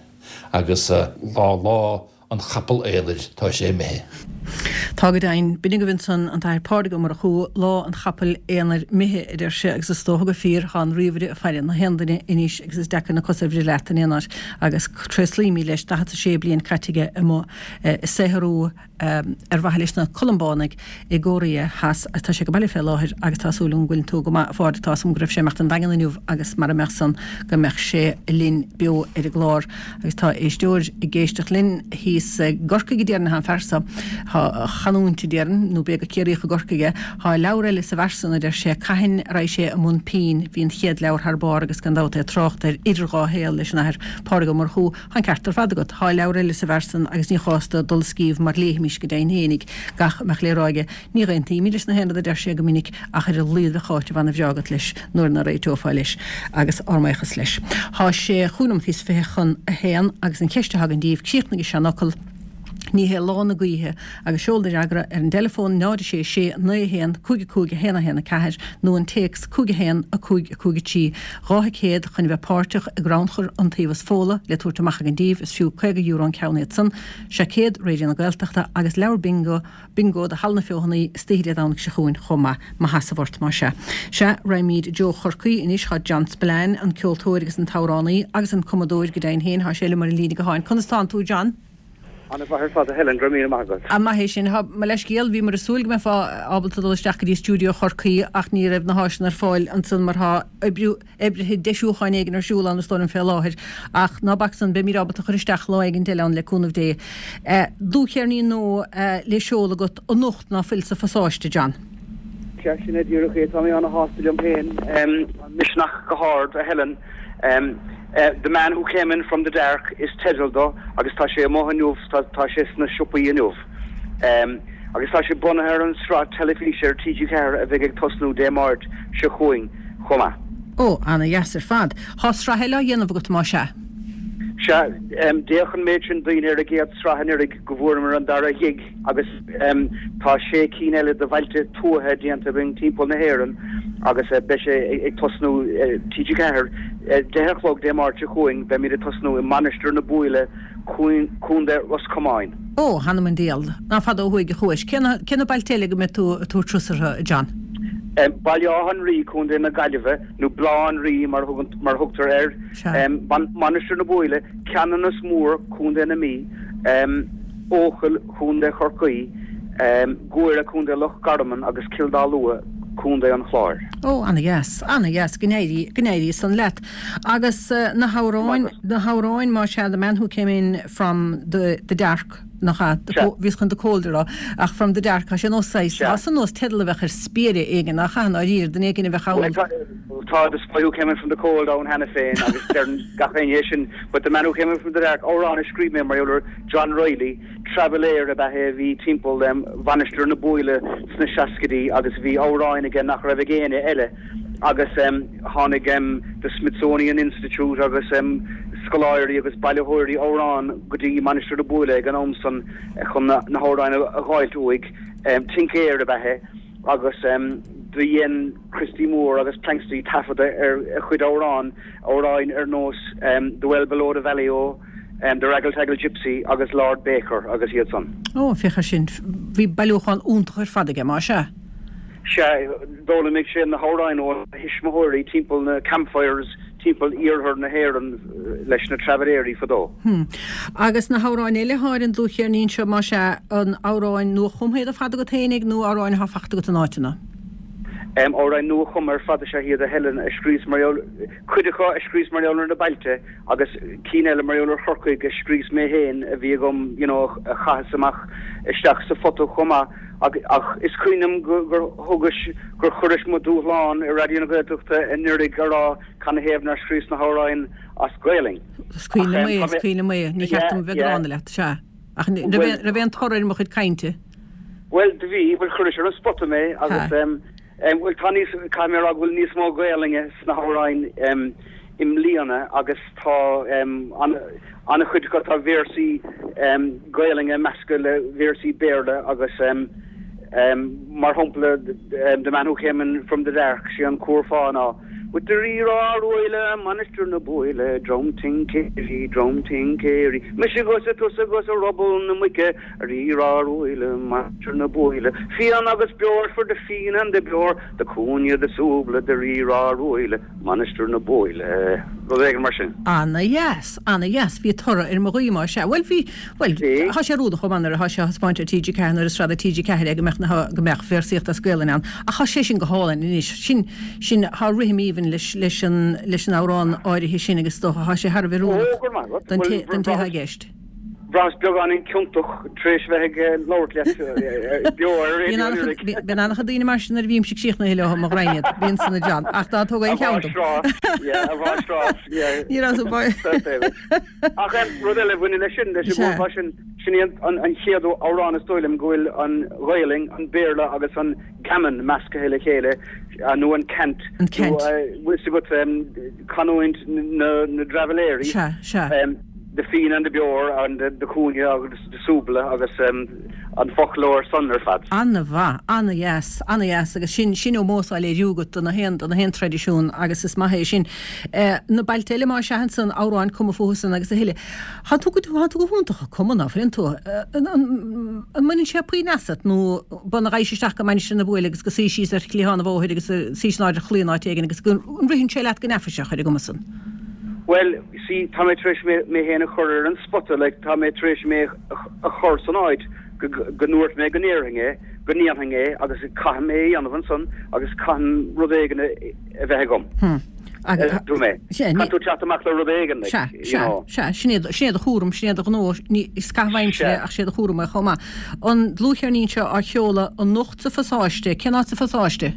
agus lá lá an chapaill aonair, tá sé imithe. Tá go deimhin. B'in agaibh ansan an tAthair Pádraig Ó Murchú, lá an chapaill aonair imithe, a deir sé, agus is dócha gur fíor, tá an ríomhaire ag faire na haon duine anois agus is deacair na cosa a bhriseadh leat in aon áit agus tréaslaímid leis, daichead 's a sé bliain caite aige amuigh ag saothrú ar mhaithe leis na Columbánaigh i gCóiréa Theas agus tá sé ag baile fé láthair agus tá súil agam go bhfuileann tú go maith a Phádraig, tá 's agam go raibh sé ag imeacht an Daingean inniu agus mara mbeadh san go mbeadh sé linn beo ar an gclár agus tá éisteoir ag éisteacht linn thíos i gCorcaigh a déarfainn, tá an fear so tá a chanúint a déarfainn nó b'fhéidir gur Ciarraíoch i gCorcaigh é, tá leabhar eile sa bhfear san a deir sé cathain a raghaidh sé i mbun pinn, bhí an chéad leabhar thar barr agus gan dabht é ag trácht ar Idir Dhá Shaol leis an Athair Pádraig Ó Murchú. Tá an ceart ar fad agat. Tá leabhar eile sa bhfear san agus ní chás dó dul a scríobh mar léifimis go deimhin fhéinig gach a mbeadh le rá aige. Ní aontaímid leis na haon rud a deir sé go minic ach ar a laghad bheadh áit ana-bhreá agat leis nuair ná réiteofá leis agus ár mbuíochas leis. Tá sé chúig nóiméad is fiche chun a haon agus an cheist atá againn daoibh, críochnaigh an seanfhocal. Ní hé lá na gaoithe agus seol do fhreagra ar an dteileafón náid sé sé naoi haon cúig cúig a haon a haon a ceathair nó an téacs cúig a haon a cúig a cúig a trí dhá thicéad chun bheith páirteach i gcrannchur Iontaobhas Fódhla le tabhairt amach againn daoibh is fiú caoga euro an ceann iad san, seaicéad Raidió na Gaeltachta agus leabhar bingo bingo do Halla na Feothanaí istoíche Dé Domhnaigh seo chugainn chomh maith. Maitheas ort más ea. Sea, raghaimid i dtreo Chorcaí anois, tá John Spillane, an ceoltóir agus an t-amhránaí agus an cumadóir go deimhin féin, tá sé liom ar an líne gutháin. Conas tánn tú, John? An-mhaith ar fad a Helen, go raibh míle maith agat. An maith é sin. Tá mo leithscéal, bhíomar ag súil go mbeifeá ábalta dul isteach go dtí stiúideo Chorcaí ach ní raibh na háiseanna ar fáil ansan mar tá oibriú, oibrithe deisiúcháin éigin ar siúl ann is dóigh liom fé láthair. Ach ná bac san, beimid ábalta cur isteach lá éigin eile ann le cúnamh Dé. Dlúthcheirnín nua le seoladh agat anocht ná fuil sa phasáiste, John. Sea, sin é díreach é. Tá mé ana-shásta liom féin. An misneach go hard, a Helen. The Man Who Came In From The Dark is teideal dó agus tá sé amuigh inniu, tá sé sna siopaí inniu. Agus tá sé bunaithe ar an sraith teilifíse ar T G ceathair a bheidh ag tosnú Dé Máirt seo chugainn chomh maith. Ó, ana dheas ar fad. Thá sraith eile á dhéanamh agat, más ea? Sea, d'fhéach an méid sin daoine ar an gcéad sraith anuraidh go bhfuaireamar an dara ghig agus tá sé cinn eile de bhailte tuaithe déanta againn timpeall na hÉireann agus beidh sé ag tosnú T G ceathair deich a chlog Dé Máirt seo chugainn, beimid ag tosnú i Mainistir na Búille, Contae Ros Comáin. Ó, th'anam 'on diabhal, ná fada ó thuaidh a chuais. Cé na, cé na bailte eile go mbeidh tú ag tabhairt turas orthu, a John? Baile Átha an Rí, Contae na Gaillimhe, nó Baile Átha an Rí mar a thugtar air, Mainistir na Búille, Ceanannas Mór, Contae na Mí, Eochaill, Contae Chorcaí, Guaire, Contae Loch Garman agus Cill Dá Lua, Contae an Chláir. Ó, ana-dheas, ana-dheas, go n-éirí, go n-éirí san leat. Agus na hamhráin, na hamhráin, más ea, The Man Who Came In From the, the Dark, nach ea? Bhíos chun the cold a rá, ach from the dark, tá sé nós saghas, tá san nós teideal a bheadh ar spiaire éigin, nach ea, i ndáiríre, duine éigin a bheadh ann. Bhuel, tá The Spy Who Came In From the Cold ann cheana féin agus deireann gach éinne é sin, but The Man Who Came In From the Dark, amhrán a scríobh mé mar gheall ar John Reilly, Traibhéalaire ab ea é a bhí timpeall Mhainistir na Búille sna seascaidí agus bhí amhráin aige nach raibh ag éinne eile agus tháinig The Smithsonian Institute agus scoláirí agus bailitheoirí amhrán go dtí Mainistir na Búille ag an am san chun na hamhráin a dh'fháilt uaidh. Tincéir ab ea é agus do dhein Christy Moore agus Planxty taifeadadh ar a chuid amhrán, amhráin ar nós The Well Below the Valley O, The Raggle Taggle Gypsy agus Lord Baker agus iad san. Ó, féach air sin. Bhí bailiúchán iontach ar fad aige, más ea. Sea, d'fhoghlaimigh sé na hamhráin ó a thuismitheoirí timpeall na campfires timpeall iarthar na hÉireann leis na traibhéirí fadó. Hm. Agus na hamhráin eile atá ar an dlúthcheirnín seo, más ea, an amhráin nua-chumtha iad ar fad agat fhéinig nó amhráin atá fachta agat in áiteanna? Amhráin nua-chumtha ar fad is ea iad, a Helen, a scríos mar gheall, cuid acu a scríos mar gheall ar na bailte agus cinn eile mar gheall ar Chorcaigh a scríos mé féin a bhí agam, you know, a chaitheas amach isteach sa phota chomh maith. Ach is cuimhin liom gur thugais, gur chuiris mo dúshlán i Raidió na Gaeltachta anuraidh a rá canathaobh nár scríos na hamhráin as Gaelainn. Is cuimhin liom é, is cuimhin liom é. Ní cheart dom bheith gránna leat, sea. Ach raibh aon toradh ar mo chuid cainte? Bhuel, do bhí, bhuel chuiris ar an spota mé agus bhuel tá níos, caithfidh mé a rá go bhfuil níos mó Gaelainne sna hamhráin i mbliana agus tá an-chuid acu, tá véarsaí Gaelainne measctha le véarsaí Béarla agus mar shampla The Man Who Came In From The Dark, sé an curfá ná With the rí-rá ruaille, Mainistir na Búille, Dream tincéirí, dream tincéirí, Mise 'gus tusa 'gus ruball na muice, Rí-rá ruaille, Mainistir na Búille, Fíon agus beoir for the fíon and the beoir, The cúinne, the súbla, the rí-rá ruaille, Mainistir na Búille. Rud éigin mar sin. Ana-dheas, ana-dheas. Bhí toradh ar mo ghuí, más ea. Bhuel, bhí, bhuel, tá sé oiriúnach chomh maith nuair atá sé á thaispeáint ar T G ceathair nuair is sraith do T G ceathair é go mbeadh na, go mbeadh véarsaíocht as Gaelainn ann. Ach tá sé sin go hálainn anois. Sin, sin, tá rithim aoibhinn leis, leis an, leis an amhrán áirithe sin agus is dócha, tá sé thar a bheith Ó, oiriúnach go raibh maith agat. don té, Bhuel, don té atá bhraitheas, i gceist. Bhraitheas beagáinín ciontach tar éis bheith ag labhairt leat beo ar Bíonn raidió an-chuid anuraidh. bíonn an-chuid daoine mar sin nuair a bhímse críochnaithe leo, mo ghraidhin iad. Bíonn san a John. Ach ná tóg A aon cheann dom. mháistreás, yeah, a mháistreás, yeah. Ní raibh sa bhfáil. Fair play. Ach em, rud eile a bhaineann leis sin, leis an Sea. gcurfá sin, sin í an, an, an chéad amhrán is dóigh liom go bhfuil an Ghaelainn, an Béarla agus an gammon measctha le chéile, nó an cant, An nó cant. eh, bhfuil 's agat em, canúint na, na dtraibhéirí. Sea, sea. Em, The Fíon and the Beoir and the, the Cúinne agus the Súbla agus um, an foclóir san ar fad. An-mhaith, an-dheas, an-dheas agus sin sin ómós á léiriú agat do na haon do na haon traidisiún agus is maith é sin. Eh, na bailte eile má seahan san amhráin cumtha fúthusan agus a thuilleadh. Tá tú go tá tú go hiontach ag cumadh ná fuileann tú. Eh, an an an mbaineann sé puinn asat nó bun a ghais isteach go Mainistir na Buaile agus go suí síos ar chliathán an bhóthair agus suí san áit ar chlaí an áit éigin agus go an ritheann sé leat go neafaiseach ar an gcuma san. Well, see, tá mé tar éis mé mé féin a chur ar an spota, like, tá mé tar éis mé a chur san áit go go ndúirt mé go ndéarfainn é, go ndéanfainn é agus caithfidh mé é a dhéanamh ansan agus caithfidh rud éigin a a bheith agam. Hmm. Agus Dúirt mé. Sea, ní- Caithfidh tú teacht amach le rud éigin, like, Sea, you sea, know. sea, sin é sin é do chúram, sin é do ghnó, ní is caitheamh aimsire Sea. ach sé do chúram é chomh maith. An dlúthcheirnín seo á sheoladh anocht sa Phasáiste, cén áit sa Phasáiste?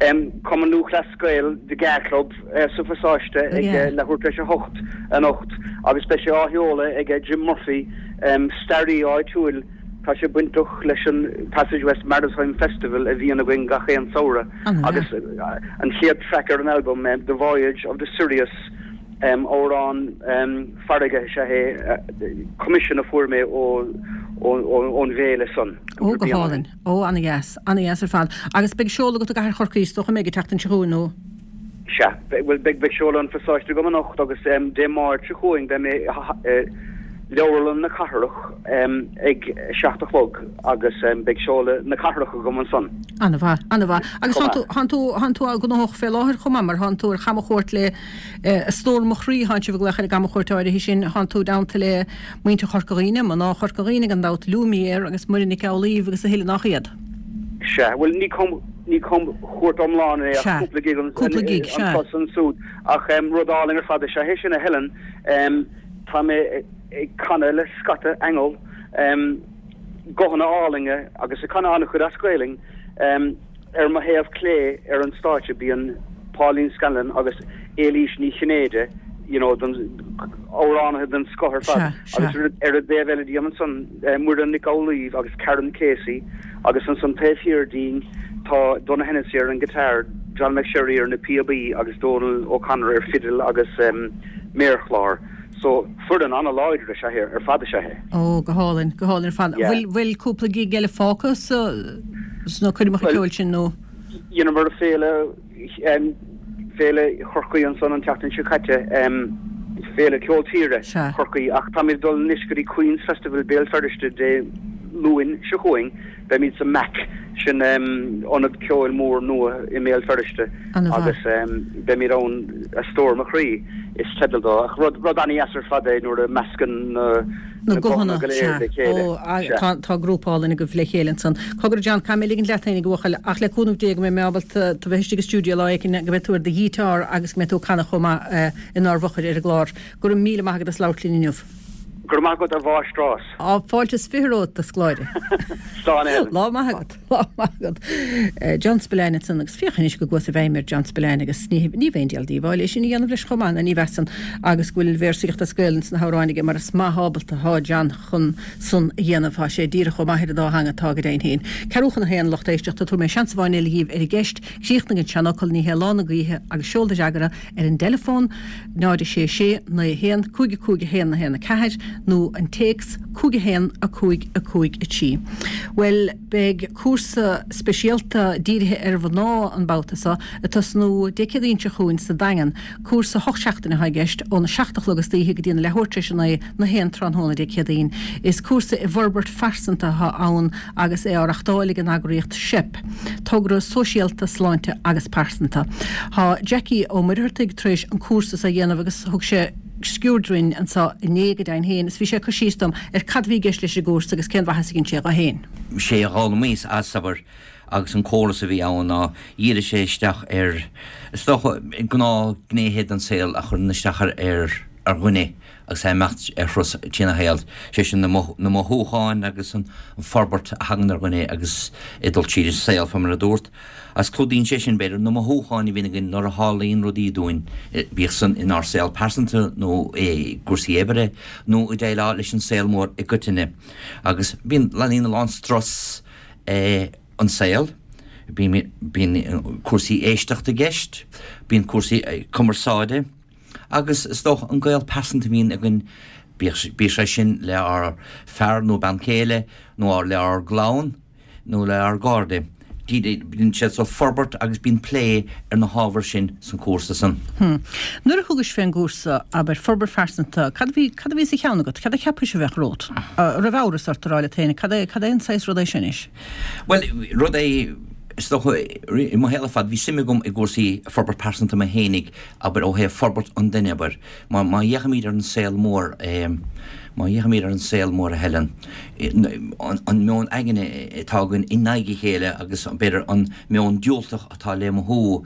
Um, Cumann Lúthchleas Gael the GAA Club uh, sa Phasáiste ag Yeah. uh, leathuair tar éis a hocht anocht agus beidh sé á sheoladh ag Jim Murphy um, staraí áitiúil tá sé bainteach leis an Passage West Maritime Festival a bhíonn againn gach aon samhradh An-mhaith. agus uh, an chéad track ar an album um, The Voyage of the Sirius um, amhrán um, farraige sé é uh, commission a fuair mé ó ón bhféile san. Ó go hálainn, ó an-dheas, an-dheas ar fad. Agus beidh seoladh agat i gcathair Chorcaí is dócha mé ag teacht an seo nó Sea, bhuel beidh beidh seoladh an Phasáiste agam anocht agus um, Dé Máirt seo chugainn beidh mé uh, leabharlann na cathrach um, ag seacht a chlog agus um, beidh seoladh na cathrach agam ansan. An-mhaith, an-mhaith. Agus Chomh thánn tú thánn tú gnóthach fé láthair chomh maith mar thánn tú ar chamchuairt le a stór mo chroí thánn sibh ag glaoch ar an gcamchuairt áirithe sin thánn tú déanta le muintir Chorca Dhuibhne, mná Chorca Dhuibhne gan dabht Lumière agus Muireann Nic Amhlaoibh agus a thuilleadh nach iad. Sea, well ní com ní camchuairt iomlán é Sea, cúpla gig an cúpla gig, sea. an ansúd ach um, rud álainn ar fad sé hé sin a Helen um, tá mé ag canadh le scata aingeal um, guthanna álainne agus ag canadh an-chuid as Gaeilge um, ar mo thaobh clé ar an stáitse bíonn Pauline Scanlon agus Éilís Ní Chinnéide you know, den amhránaithe den scoth ar fad Sea, sea. agus ar ar an dtaobh eile díom ansan uh, Muireann Nic Amhlaoibh agus Karen Casey agus ansan taobh thiar dínn tá Donna Hennessy ar an guitar, John McSherry ar na píobaí agus Donal O'Connor ar fiddle agus um, méarchlár. So foireann an-láidir is ea ar fad is ea é. Ó go hálainn, go hálainn ar fad. Yeah. Bhfuil bhfuil cúpla gig eile fágtha sa sna coirmeacha Well- ceoil sin nó Dhéanamar féile um, féile Chorcaí ansan an tseachtain seo caite um, féile ceol tíre Sea. Chorcaí ach táimid dul anois go dtí Queen's Festival Béal Feirste Dé Luain seo chugainn beimid sa MAC sin um, ionad ceoil mór nua i mBéal Feirste An-mhaith. agus um, beimid ann a stór mo chroí is teideal dó ach rud rud an-deas ar fad é nuair a meascann uh, na guthanna go léir le chéile. Ó Sea. tá tá grúpa álainn agaibh le chéile ansan. Cogar John caithfidh mé ligint leat féin a bhuachaill ach le cúnamh Dé go mbeidh mé ábalta tú bheith istigh i stiúideo lá éigin go mbeidh tú ar do ghiotár agus go mbeidh tú ag canadh chomh maith eh, inár bhfochair ar an gclár. Go raibh míle maith agat as labhairt linn inniu. Gur maith agat a mháistreás. Á fáilte is fiche romhat a scoláire. Slán Helen. Lá maith agat, lá maith agat. Eh, John Spillane ansan agus féach anois go gcuas i bhfeidhm ar John Spillane agus ní ní bheinn díol díobháil é sin a dhéanamh leis chomh maith ná ní bhesan agus go bhfuil véarsaíocht as Gaelainn sna hamhráin aige mar is maith ábalta atá John chun san a dhéanamh tá sé díreach chomh maith ar an dá theanga atá go deimhin féin. Ceathrú chun a haon lucht éisteachta tabharfaidh mé seans amháin eile dhíbh ar an gceist, críochnaigh an seanfhocal ní hé lá na gaoithe agus seol do fhreagra ar an dteileafón náid sé sé naoi haon cúig cúig haon a haon a ceathair nó an téacs cúig haon a cúig a cúig a trí. Well beidh cúrsa speisialta dírithe ar mhná an babhta seo ag tosnú Dé Céadaoin seo chugainn sa Daingean, cúrsa hocht seachtaine atá i gceist óna seacht a chlog istoíche go dtí na leathuair tar éis a naoi na haon tráthnóna Dé Céadaoin. Is cúrsa i bhforbairt phearsanta atá ann agus é á reáchtáil ag an eagraíocht SEP, togra sóisialta sláinte agus pearsanta. Tá Jackie Ó Muircheartaigh tar éis an cúrsa a dhéanamh agus thug sé sciuird dúinn anseo inné go deimhin féin, is bhí sé ag cur síos dom ar cad bhí i gceist leis an gcúrsa agus cén mhaitheas a dhein sé dó féin. sé a d'fhoghlaimíos as sabar agus an córas a bhí ann ná dhírigh sé isteach ar is dócha gnáthghnéithe den saol a chuireann isteach ar ar ar dhuine agus é imeacht ar thuras trína shaol. sé sin na na mothúcháin agus an an forbairt a thagann ar dhuine agus é dul tríd an saol fá mar a dúirt. As clúdaíonn sé sin b'fhéidir na mothúcháin a bhíonn againn nuair a tharlaíonn rudaí dúinn bíodh san inár saol pearsanta nó i gcúrsaí oibre nó i déileáil leis an saol mór i gcoitinne. Agus bíonn leanaíonn a lán strus eh, an saol, bíonn cúrsaí éisteachta i gceist, bíonn cúrsaí cumarsáide, agus is dócha an gaol pearsanta a bhíonn againn Bíodh sé sin le ár fear nó bean chéile nó le ár gclann nó le ár gcairde. Bíonn sé ag forbairt agus bíonn plé ar na hábhair sin san cúrsa san. Hmm. Nuair a thugais fén gcúrsa, abair, forbairt phearsanta, cad a bhí, cad a bhí sa cheann agat, cad a cheapais a bheadh romhat? Raibh amhras ort a rá leat féin, cad é, cad é an saghas rud é sin anois? Bhuel, rud é, is dócha, i mo shaol ar fad, bhí suim agam i gcúrsaí forbairt pearsanta mé fhéinig, abair, ó thaobh forbairt an duine, abair. Má, má fhéachaimid ar an saol mór, má fhéachaimid ar an saol mór, a Helen, an meon aigne atá againn in aghaidh a chéile agus b'fhéidir an meon diúltach atá le mothú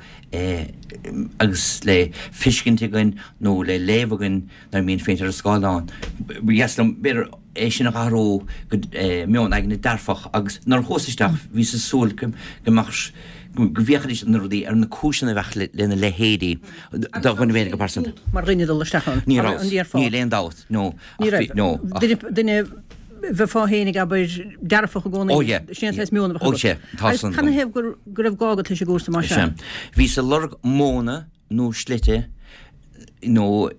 agus le feiscint againn nó le léamh againn nuair a bhíonn féachaint ar an scáileán. Ba dheas liom, b'fhéidir, é sin a athrú go meon aigne dearfach agus nuair a chuas isteach bhíos ag súil go mbeadh, go bhféachfaidís ar na rudaí, ar na cúiseanna a bheadh lena leithéidí do dhuine féin go pearsanta. Mar dhuine dul isteach ann. Ní raibh, níl aon dabht, no. Ní raibh. No. Duine, bheifeá féin ag abair dearfach i gcónaí. Ó yeah. Sin an saghas meon a bheadh agat. Ó sea, tá san. Agus canathaobh go raibh gá agat leis an gcúrsa mar sin? Bhíos ag lorg modhanna nó slite nó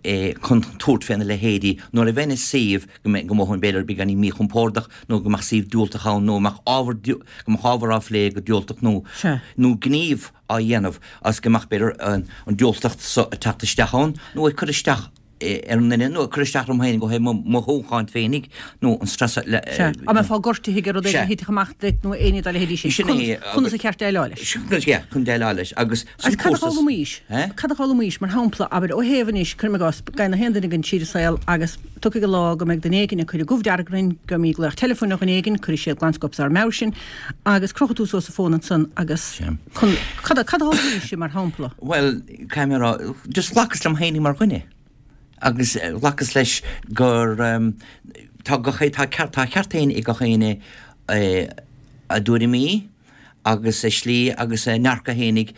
chun tabhairt féna leithéidí nuair a bheinn i suíomh go mbeadh, go mothóinn b'fhéidir beagáinín míchompordach nó go mbeadh suíomh diúltach ann nó go mbeadh ábhar, go mbeadh ábhar á phlé go diúltach nó, nó gníomh á dhéanamh agus go mbeadh b'fhéidir an diúltacht so ag teacht isteach ann nó ag cur isteach ar an nduine nó ag cur isteach orm féinig ó thaobh mo mhothúcháin féinig nó an stress le. Sea. Dá mbeifeá gortaithe ag rud éigin a thitfeadh amach duit nó éinne dá leithéidí sin. Sin é. Conas a cheart déileáil leis. Yeah, chun déileáil leis agus san Agus cad a d'fhoghlaimís? Cad a d'fhoghlaimís? Mar shampla, abair, ó thaobh anois, cuirim i gcás, gabhann na haon duine againn tríd an saol agus tiocfaidh an lá go mbeidh duine éigin ag cur an gomh dearg orainn, go mbeidh glaoch teileafóin ó dhuine éigin, cuirfidh siad glanscóip dár meabhair sinn agus crochfaidh tú suas an fón ansan agus chun, cad a, cad a d'fhoghlaimís mar shampla? Bhuel, caithfidh mé a rá, just ghlacas liom féinig mar dhuine. Agus ghlacas leis gur tá gach tá ceart tá ceart féin ag gach éinne a dtuairimí agus a slí agus a ndearcadh fhéinig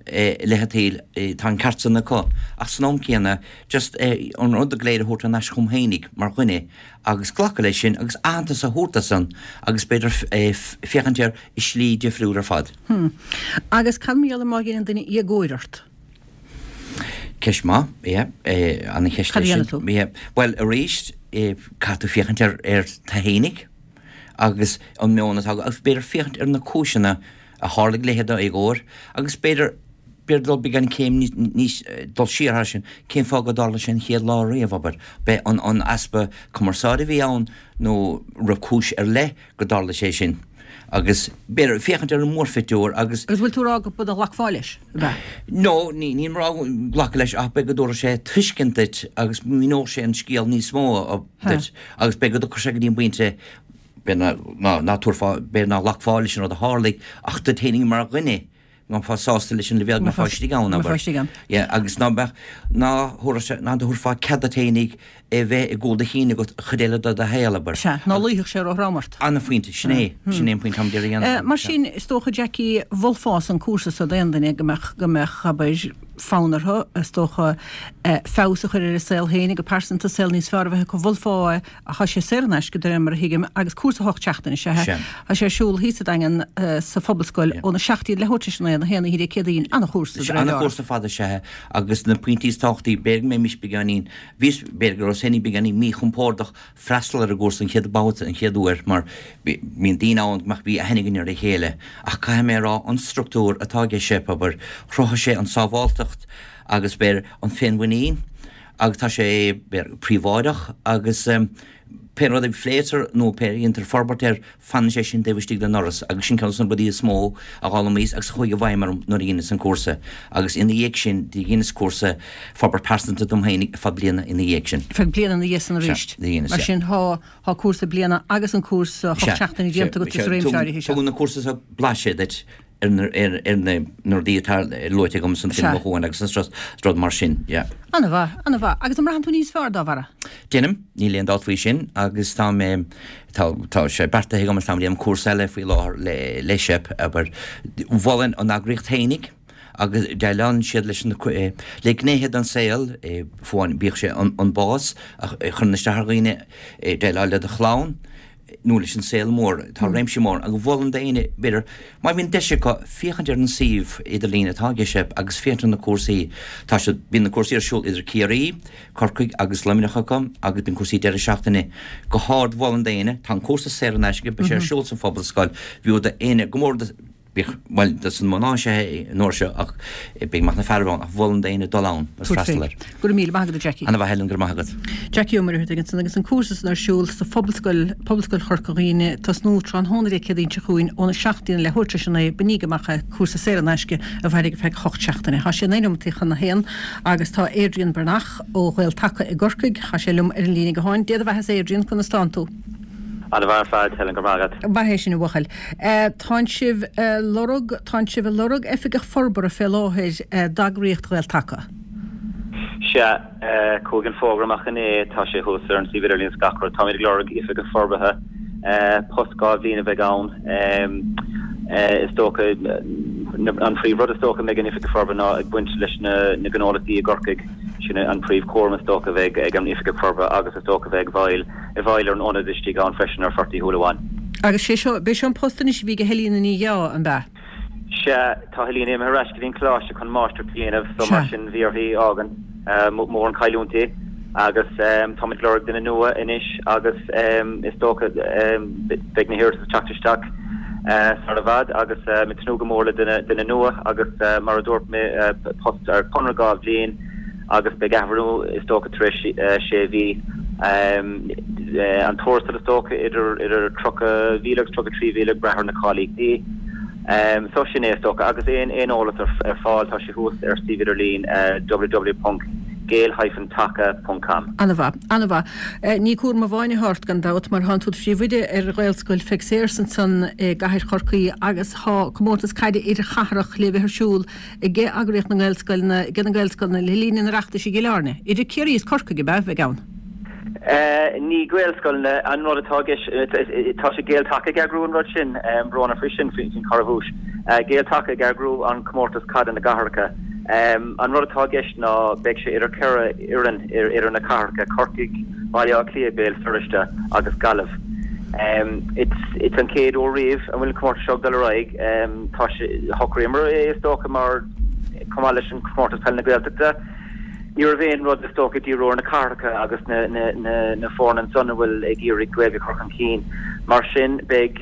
i leith an tsaoil, tá an ceart san acu. Ach san am céanna, just an rud go léir a thabhairt thar n-ais chugam fhéinig mar dhuine agus glacadh leis sin agus aitheantas a thabhairt do san agus b'fhéidir féachaint air i slí difriúil ar fad. Hm. Agus cad mar gheall ar má dheineann duine éagóir ort? Ceist maith, yeah, ana-cheist Cad é a sin. dhéanfaidh tú? Yeah. Bhuel, arís, caithfidh tú féachaint ar ar tú fhéinig agus an meon atá agat agus b'fhéidir féachaint ar na cúiseanna a tharlaigh leithéid d'éagóir agus b'fhéidir b'fhéidir dul beagán céim níos dul siar thar sin, cén fáth go dtarla sé an chéad lá riamh, abair, b'é an an easpa cumarsáide a bhí ann nó raibh cúis ar leith go dtarla sé sin. Agus, b'fhéidir, féachaint ar an mórphictiúr agus. Agus bhfuil tú ag rá go nglacfá leis, ab ea? No, ní, nílim ag rá go nglacfá leis ach b'fhéidir go dtabharfadh sé tuiscint duit agus míneodh sé an scéal níos mó duit agus b'fhéidir go dtiocfadh sé go dtí an bpointe, b'fhéidir ná, ná, ná tabharfá, b'fhéidir ná glacfá leis an rud a tharlaigh ach duit fhéinig mar dhuine. ná mbeifeá sásta leis an leibhéal go mbeifeá istigh ann, abair. Mbeifeá istigh ann. Yeah, agus ná beadh, ná thabharfadh sé, ná thabharfá cead duit fhéinig é bheith i gcúl do chinn agat an chuid eile de do shaol, abair. Sea, ná luífeadh sé róthrom ort. Ana-phointe, sin é, sin é an pointe táim d'iarraidh a dhéanamh. Mar sin, is dócha, Jackie, mholfása an cúrsa so d'aon duine go mbeadh, go mbeadh, abair, fonn orthu, is dócha, feabhas a chur ar a saol féinig go pearsanta, saol níos fearr a bheith acu, mholfá é. Tá sé saor in aisce de réir mar a thuigim agus cúrsa ocht seachtaine is ea é. Sea. Tá sé ar siúl thíos sa Daingean sa Phobalscoil óna seacht déag leathuair tar éis a naoi, a haon oíche Dé Céadaoin. Ana-chúrsa de Sea, réir dealraimh. ana-chúrsa fada is ea é agus na pointí is tábhachtaí, b'fhéidir go mbeimis beagáinín, bhíos, b'fhéidir go rabhas féinig beagáinín míchompordach freastal ar an gcúrsa an chéad babhta, an chéad uair mar bíonn daoine ann go mbeadh, bhí aithne againn ar a chéile ach caithfidh mé a rá an struchtúr atá aige SEIP, abair, chruthaigh sé an sábháltacht agus b'fhéidir an féinmhuinín agus tá sé príobháideach agus pé rud a phléitear nó pé a dhéantar forbairt air, fanann sé sin taobh istigh den ndoras agus sin ceann de na rudaí is mó a d'fhoghlaimíos agus a chuaigh i bhfeidhm orm nuair a dheineas an cúrsa agus ina dhiaidh sin do dheineas cúrsa forbairt pearsanta dom féin ar feadh bliana ina dhiaidh sin. Ar feadh bliana ina dhiaidh san Sea, arís. do dheineas, Mar sea. sin thá thá cúrsa bliana agus an cúrsa hocht Sea, seachtaine sea, déanta agat sea, sa réimse tugann áirithe seo. tugann na cúrsa seo blaiseadh duit ar na rudaí atá luaite agam san Sea. mhothúcháin agus an strus, rud mar sin, yeah. Ana-mhaith, ana-mhaith. Agus an mbraitheann tú níos fearr dá bharra? Deinim, níl aon dabht faoi sin agus tá mé, tá, tá sé beartaithe agam agus táim ag déanamh cúrsa eile faoi láthair le, le SEIP, abair. Mholfainn an eagraíocht fhéinig agus déileálann siad leis na, le gnéithe den saol, fiú amháin, bíodh sé an, an bás a chuireann isteach ar dhaoine, déileáil le do chlann, nó leis an saol mór, tá réimse mór agus mholfainn d'éinne b'fhéidir má bhíonn deis acu féachaint ar an suíomh idirlín atá ag SEP agus féachaint ar na cúrsaí. Tá siad, bíonn na cúrsaí ar siúl idir Ciarraí, Corcaigh agus Luimneach acu agus bíonn cúrsaí deireadh seachtaine. Go hard mholfainn d'éinne, tá an cúrsa saor in aisce, beidh sé ar siúl sa Phobalscoil, b'fhiú d'éinne go mór do. Bíodh, bhuel, dos na mná is ea é an uair seo ach beidh maith na fearaibh ann ach mholfainn d'éinne dul ann agus freastal air. Go raibh míle maith agat, a Jackie. Ana mhaith Helen, go raibh maith agat. Jackie Ó Muircheartaigh ansan agus an cúrsa san ar siúl sa Phobalscoil, Pobalscoil Chorca Dhuibhne, tosnú tráthnóna Dé Céadaoin seo chugainn óna seacht go dtí an leathuair tar éis a naoi, bainigí amach é, cúrsa saor in aisce a mhairfidh ar feadh ocht seachtaine. Tá sé naoi nóimeataí chun a haon agus tá Adrian Breathnach ó Ghael Taca i gCorcaigh, tá sé liom ar an líne gutháin. Dé do bheatha-sa Adrian, conas tánn tú? Ana mhaith ar fad, Helen, go raibh maith agat. Maith é sin a bhuachaill. Tánn sibh a lorg, tánn sibh a lorg oifigeach forbartha fé láthair d'eagraíocht Ghael Taca. Sea, chuaigh an fógra amach inné, tá sé thuas ar an suíomh idirlín is gach rud. Táimid ag lorg oifigeach forbartha, post dhá bhliain a bheidh ann. Is dócha, an príomh rud is dócha a mbeidh an oifigeach forbartha ná ag baint leis na gnólachtaí i gCorcaigh. Sin an príomh chúram is dócha a bheidh ag an oifigeach forbartha agus is dócha a bheidh ag bhfeighil i bhfeighil ar an ionad istigh ann freisin ar Phort Uí Shúilleabháin. Agus sé seo, b'é seo an post anois a bhí ag Helena Ní Dheá, an b'ea? Sea, tá Helena imithe ar ais go dtí an coláiste chun máistreacht a dhéanamh so mar sin bhí uirthi fhágaint, mór an chailliúint í agus táimid ag lorg duine nua anois agus is dócha beidh na hiarratais ag teacht isteach sar i bhfad agus ag tnúth go mór le duine, duine nua agus mar a dúirt mé post ar chonradh dhá bhliain. agus beidh athbhreithniú is dócha tar éis sé mhí. An tuarastal is dócha idir idir tríocha mhíle agus tríocha trí mhíle ag brath ar na cáilíochtaí. So sin é is dócha agus aon aon eolas ar ar fáil tá sé thuas ar suíomh idirlín www ponc gael hyphen taca ponc com. An-mhaith, an-mhaith. Ní cúram amháin atá ort gan dabht mar thánn tú i do phríomhoide ar Ghaelscoil Pheig Sayers ansan i gcathair Chorcaí agus thá comórtas caide idirchathrach le bheith ar siúl ag eagraíocht na nGaelscoileanna, ag na Gaelscoileanna le linn an Oireachtais i gCill Airne. Idir Ciarraí is Corcaigh, ab ea, a bheidh ann? Ní Gaelscoileanna an rud atá i gceist, tá sé Gael Taca ag eagrú an rud sin, brón orm faoi sin, faoin chorrabhuais. Gael Taca ag eagrú an comórtas caide na gcathracha. An rud atá i gceist ná beidh sé idir ceithre fhoireann idir na cathracha, Corcaigh, Baile Átha Cliath, Béal Feirste agus Gaillimh. It's an chéad uair riamh a bhfuil an comórtas seo ag dul ar aghaidh. Tá sé, shocraíomar é is dócha mar chomh maith leis an comórtas peile na Gaeltachta, ní raibh aon rud is dócha ag díriú ar na cathracha agus na na na na foirne ansan a bhfuil ag iarraidh Gaeilge a chur chun cinn. Mar sin beidh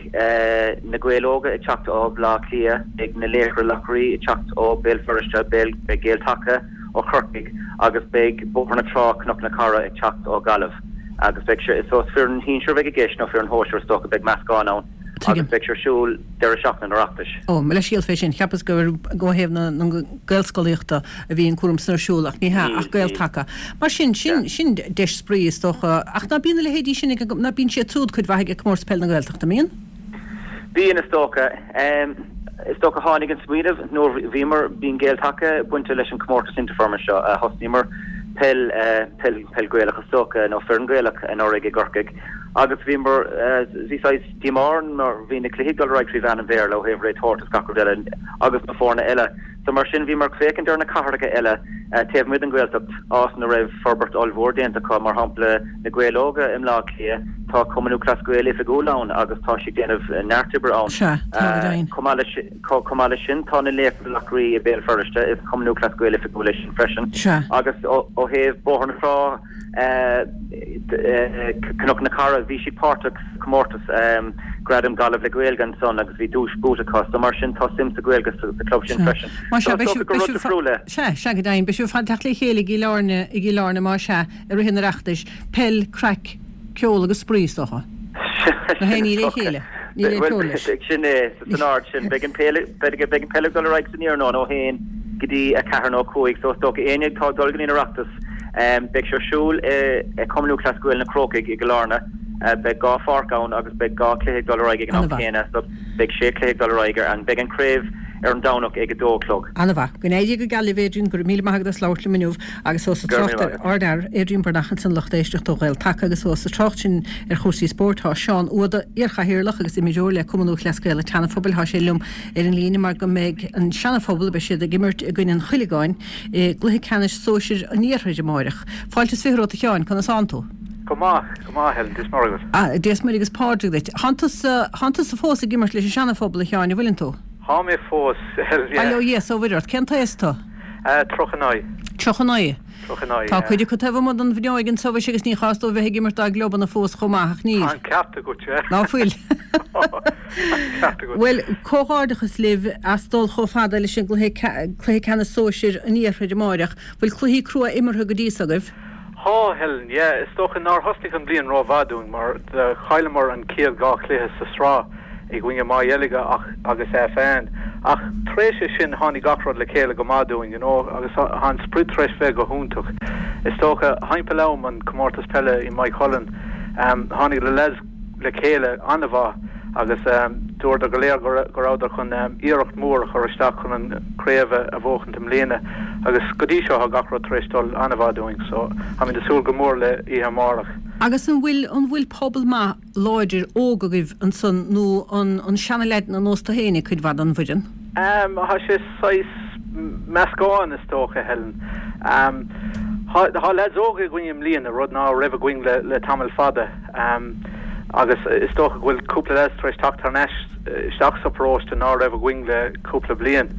na Gaeil Óga ag teacht ó Bhaile Átha Cliath, beidh na Laochra Lochraí ag teacht ó Béal Feirste, beidh Gael Taca ó Chorcaigh agus beidh Bóthar na Trá, Cnoc na Cara ag teacht ó Ghaillimh agus beidh sé, so is foireann shinsir a bheidh i gceist nó foireann shóisir is dócha, beidh meascán ann agus beidh sé ar siúl deireadh seachtaine an Oireachtais. Ó, mo leithscéal fé sin, cheapas gur ó thaobh na Gaelscolaíochta a bhí an cúram san ar siúl ach ní hea, ach Gael Taca. Mar sin, sin, sin deis spraoi is dócha, ach ná bíonn a leithéidí sin ag, ná bíonn siad siúd cuid mhaith ag Comórtas Peile na Gaeltachta, an mbíonn? Bíonn, is dócha. Is dócha tháinig an smaoineamh nuair bhíomar, bíonn Gael Taca bainte leis an comórtas Interfirma seo, thosnaíomar peil, peil, peil Gaelach is dócha, nó foireann Gaelach anuraidh i gCorcaigh agus bhíomar, bhí saghas díomá orainn mar bhí na cluichí ag dul ar aghaidh trí mheán an Bhéarla ó thaobh réiteoireacht is gach rud eile agus na foirne eile. So mar sin bhíomar ag féachaint ar na cathracha eile taobh amuigh den Ghaeltacht, áit ina raibh forbairt ollmhór déanta acu, mar shampla na Gaeil Óga i mBleá Cliath, tá Cumann Lúthchleas Gael oifigiúil ann agus tá siad ag déanamh neart oibre ann. Sea, tá go deimhin. Chomh maith leis, chomh maith leis sin tá na Laochra Lochraí i Béal Feirste, is Cumann Lúthchleas Gael oifigiúil é sin freisin. Sea. Agus ó thaobh Bóthar na Trá, Cnoc na Cara, bhí siad páirteach sa chomórtas Gradam Gaillimh le Gaeilge ansan agus bhí duais buaite acu so mar sin tá suim sa Ghaeilge sa club sin freisin. Más ea, beidh sibh, beidh sibh, sea, sea go deimhin, beidh sibh ar fad ag teacht le chéile i gCill Airne, i gCill Airne más ea, i rith an Oireachtais, peil, craic, ceol agus spraoi is dócha. Na héinní le chéile. Níl aon teorainn leis. Sin é, san ord sin. Beidh an peil, beidh an peil ag dul ar aghaidh san iarnóin ó haon go dtí a ceathair nó a cúig so is dócha éinne atá ag dul go dtí an Oireachtas, beidh sé ar siúl i Cumann Lúthchleas Gael na Crócaigh i gCill Airne. Beidh dhá pháirc ann agus beidh dhá chluiche ag dul ar aghaidh ag an am céanna so beidh sé chluiche ag dul ar aghaidh ar an, beidh an craobh ar an Domhnach ag a dó a chlog. An-mhaith. Go n-éirí go geal libh Adrian, go raibh míle maith agat as labhairt liom inniu agus ós ag trácht ar ár bhfear, Adrian Breathnach ansan lucht éisteachta ó Ghael Taca agus ós ag trácht sin ar chúrsaí spóirt tá Seán Uada, iar-chathaoirleach agus imreoir le Cumann Lúthchleas Gael an tSeana-Phobail, tá sé liom ar an líne mar go mbeidh an Seana-Phobal, beidh siad ag imirt i gcoinne an Chuilceagáin i gcluiche ceannais sóisir an Iarthair amáireach. Fáilte is fiche romhat a Sheáin, conas tánn tú? Go maith, go maith, Helen, Dia is Muire agat. Ah, Dia is Muire agus Pádraig duit. Thánn tusa, thánn tusa fós ag imirt leis an Seana-Phobal, a Sheáin, an bhfuileann tú? Thá mé fós, Helen, yeah. Bail ó Dhia 's ó Mhuire ort. Cén t-aos tú? Eh, tríocha naoi. Tríocha naoi. Tríocha naoi, Tá yeah. cuid acu taobh amuigh den bhfuinneoig anso mhuise agus ní chás dóibh bheith ag imirt dá gclubanna fós chomh maith, ach níl. Tá an ceart agat, yeah. Ná fuil? Tá an ceart agat. Bhuel, comhghairdeachas libh as dul chomh fada leis an gcluiche, cluiche ceannais sóisir an Iarthair amáireach. Bhfuil cluichí crua imeartha go dtí so agaibh? Thá, Helen, yeah. Is dócha nár thosnaigh an bhliain rómhaith dúinn mar do chailleamar an chéad dhá chluiche sa sraith i gcoinne Maigh Dheilge ach agus FN. Ach tar éis é sin tháinig gach rud le chéile go maith dúinn, you know, agus tá an sprid tar éis bheith go hiontach. Is dócha, thimpeall am an comórtas peile i Maigh Cuilinn, tháinig na lads le chéile an-mhaith agus dúradar go léir go rabhadar chun iarracht mhór a chur isteach chun an chraobh a bhuachaint i mbliana agus go dtí seo tá gach rud tar éis dul an-mhaith dúinn so táimid ag súil go mór le oíche amárach. Agus an bhfuil an bhfuil pobal maith láidir óg agaibh ansan nó an an seana-leaideanna ar nós tú fhéinig cuid mhaith den bhfoireann? Tá sé saghas meascán is dócha, Helen. Tá leaids óga againn i mbliana, rud ná raibh againn le le tamall fada. Agus is dócha go bhfuil cúpla leaids tar éis teacht thar n-ais isteach sa pharóiste ná raibh againn le cúpla bliain.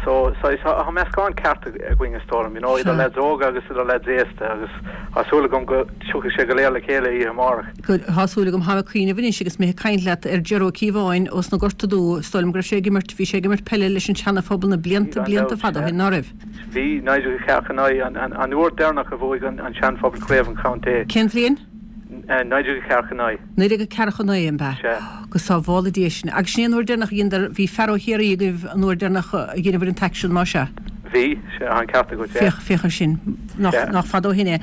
So saghas tá meascán ceart againn is dóigh liom, you know, idir leaids óga agus idir leaids aosta agus tá súil agam go dtiocfaidh sé go léir le chéile oíche amárach. Good, tá súil agam. Táim ag cuimhneamh anois agus mé ag caint leat ar Ger Ó Cíobháin ós na Gorta Dubha, is dóigh liom go raibh sé ag imirt, bhí sé ag imirt peile leis an Seana-Phobal na blianta, Bhí gan blianta dabht, fada ó sea. shin, ná raibh? Bhí, naoi déag a ceathracha naoi, an, an, an uair deireanach a bhuaigh an, an Sean-Phobal Craobh an Chontae. Cén bhliain? Naoi déag a ceathracha naoi. Naoi déag a ceathracha naoi, an b'ea? Sea. Go sábhála Dia sinn. Agus sin é an uair deireanach a dheineadar, bhí fear ó Chiarraí agaibh an uair deireanach a dheineabhair an t-aicsean, más ea? Bhí, sea, tá an ceart agat, yeah. Féach, féach air sin. Nach, Sea. nach fada ó shin é.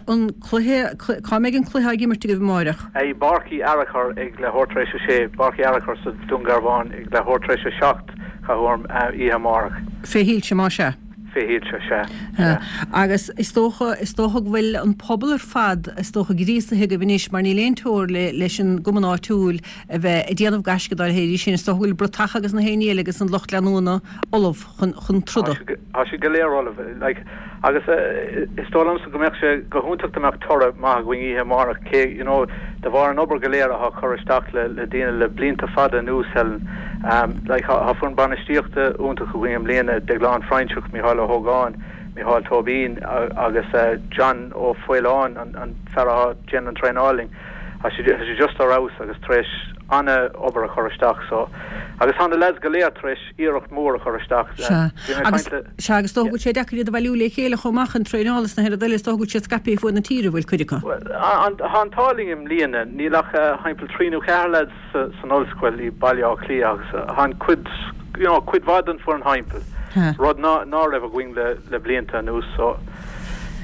An cluiche, cá mbeidh an cluiche á imirt agaibh amáireach? I bPáirc Uí Fhearchair ag leathuair tar éis a sé, Páirc Uí Fhearchair sa Dún Garbhán ag leathuair tar éis a seacht, caithfidh, oíche amárach. Fé shoilse, más ea? Fé shoilse, sea, sea. Agus is dócha, is dócha go bhfuil an pobal ar fad, is dócha, gríosaithe agaibh anois mar níl aon teora le, leis an gcumann áitiúil a bheith ag déanamh gaisce dá leithéidí sin. Is dócha go bhfuil bratacha agus na haon ní eile agus an lucht leanúna ullamh chun, chun Tá troda. siad, tá siad go léir ullamh, like, agus is dóigh liomsa go mbeadh sé go hiontach dá mbeadh toradh maith againn oíche amárach, cé, you know, de bharr an obair go léir atá curtha isteach le, le daoine le blianta fada anuas, Helen. Like, tá foireann bainistíochta iontach againn i mbliana, Deaglán Froinseach, Mícheál Ó hÓgáin, Mícheál Tóibín agus John Ó Faoláin, an fear atá ag déanamh an traenáil linn. Tá sé tá sé just ar fheabhas agus tar éis an-obair a chur isteach so. Agus tá na lads go léir tar éis iarracht mhór a chur isteach. Sea. Bhí mé ag Agus caint le. sea, agus dócha go bhfuil sé deacair iad a bhailiú le chéile chomh maith chun traenála is na haon rud eile, is dócha go bhfuil siad scaipthe fuaid na tíre, an bhfuil cuid acu? Bhuel, tá an t-ádh linn i mbliana, níl ach thimpeall trí nó ceathair lads san ollscoil i Baile Átha Cliath agus tá an cuid, you know, cuid mhaith den foireann thimpeall, rud ná ná raibh againn le le blianta anuas so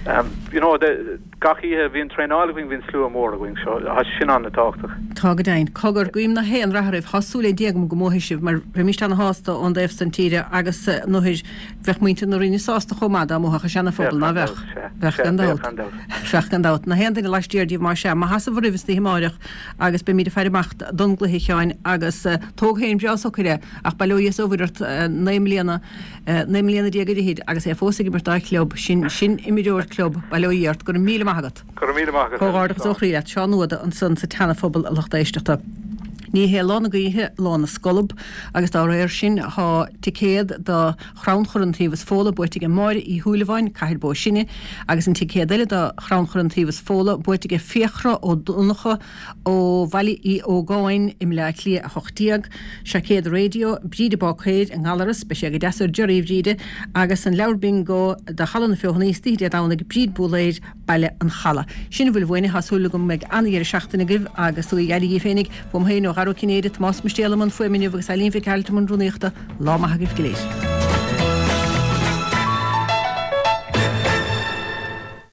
um, you know, de, gach oíche a bhíonn traenáil againn bhíonn slua mór againn so tá sin an-tábhachtach. Tá go deimhin. Cogar, guím na haon rath oraibh. Tá súil ag Dia agam go mbuafaidh sibh mar bheimíst ana-shásta ón dtaobh san tíre agus nuair bheadh muintir na Rinne sásta chomh maith dá mbuafadh an Seana-Phobal, Bheadh ná gan bheadh? dabht, sea. Bheadh Sea, gan bheadh dabht. gan dabht. Bheadh gan dabht. Na haon duine laistiar díobh más ea. Maith as a bhur roimh istoíche amáireach agus beimíd ag faire amach don gcluiche, a Sheáin, agus tóg féin breá socair é ach bail ó Dhia is ó Mhuire ort naoi mbliana, naoi mbliana déag ar fhichid agus é fós ag imirt dá chlub. Sin, sin imreoir club, bail ó Dhia ort. Go raibh míle maith agat. Go raibh míle maith agat, Helen. Comhghairdeachas ó Slán. chroí leat. Seán Ó hUada ansan sa tSeana-Phobal a lucht éisteachta. Ní hé lá na gaoithe lá na scolb agus dá réir sin tá ticéad do Chrannchur Iontaobhas Fódhla buaite ag Máire Uí Shúilleabháin, Cathair Bó Sine, agus an ticéad eile do Chrannchur Iontaobhas Fódhla buaite ag Fiachra Ó Donnchadha ó Bhaile Uí Ógáin i mBleá Cliath a hocht déag. Seaicéad raidió Bríde Báicéir i nGallaras, beidh sé go deas ar Jerry a Bhríde, agus an leabhar bingo do Halla na Feothanaí istoíche Dé Domhnaigh, Bríd Búlaeir, Baile an Chalaidh. Sin a bhfuil uainne, tá súil agam go mbeidh an-dheireadh seachtaine agaibh agus tugaigí aire dhíbh féinig, uaim féin, ó Dhara Ó Cinnéide, Tomás Mistéal i mbun fuaime inniu agus Eileen Mhic Gearailt i mbun rúnaíochta. Lá maith agaibh go léir.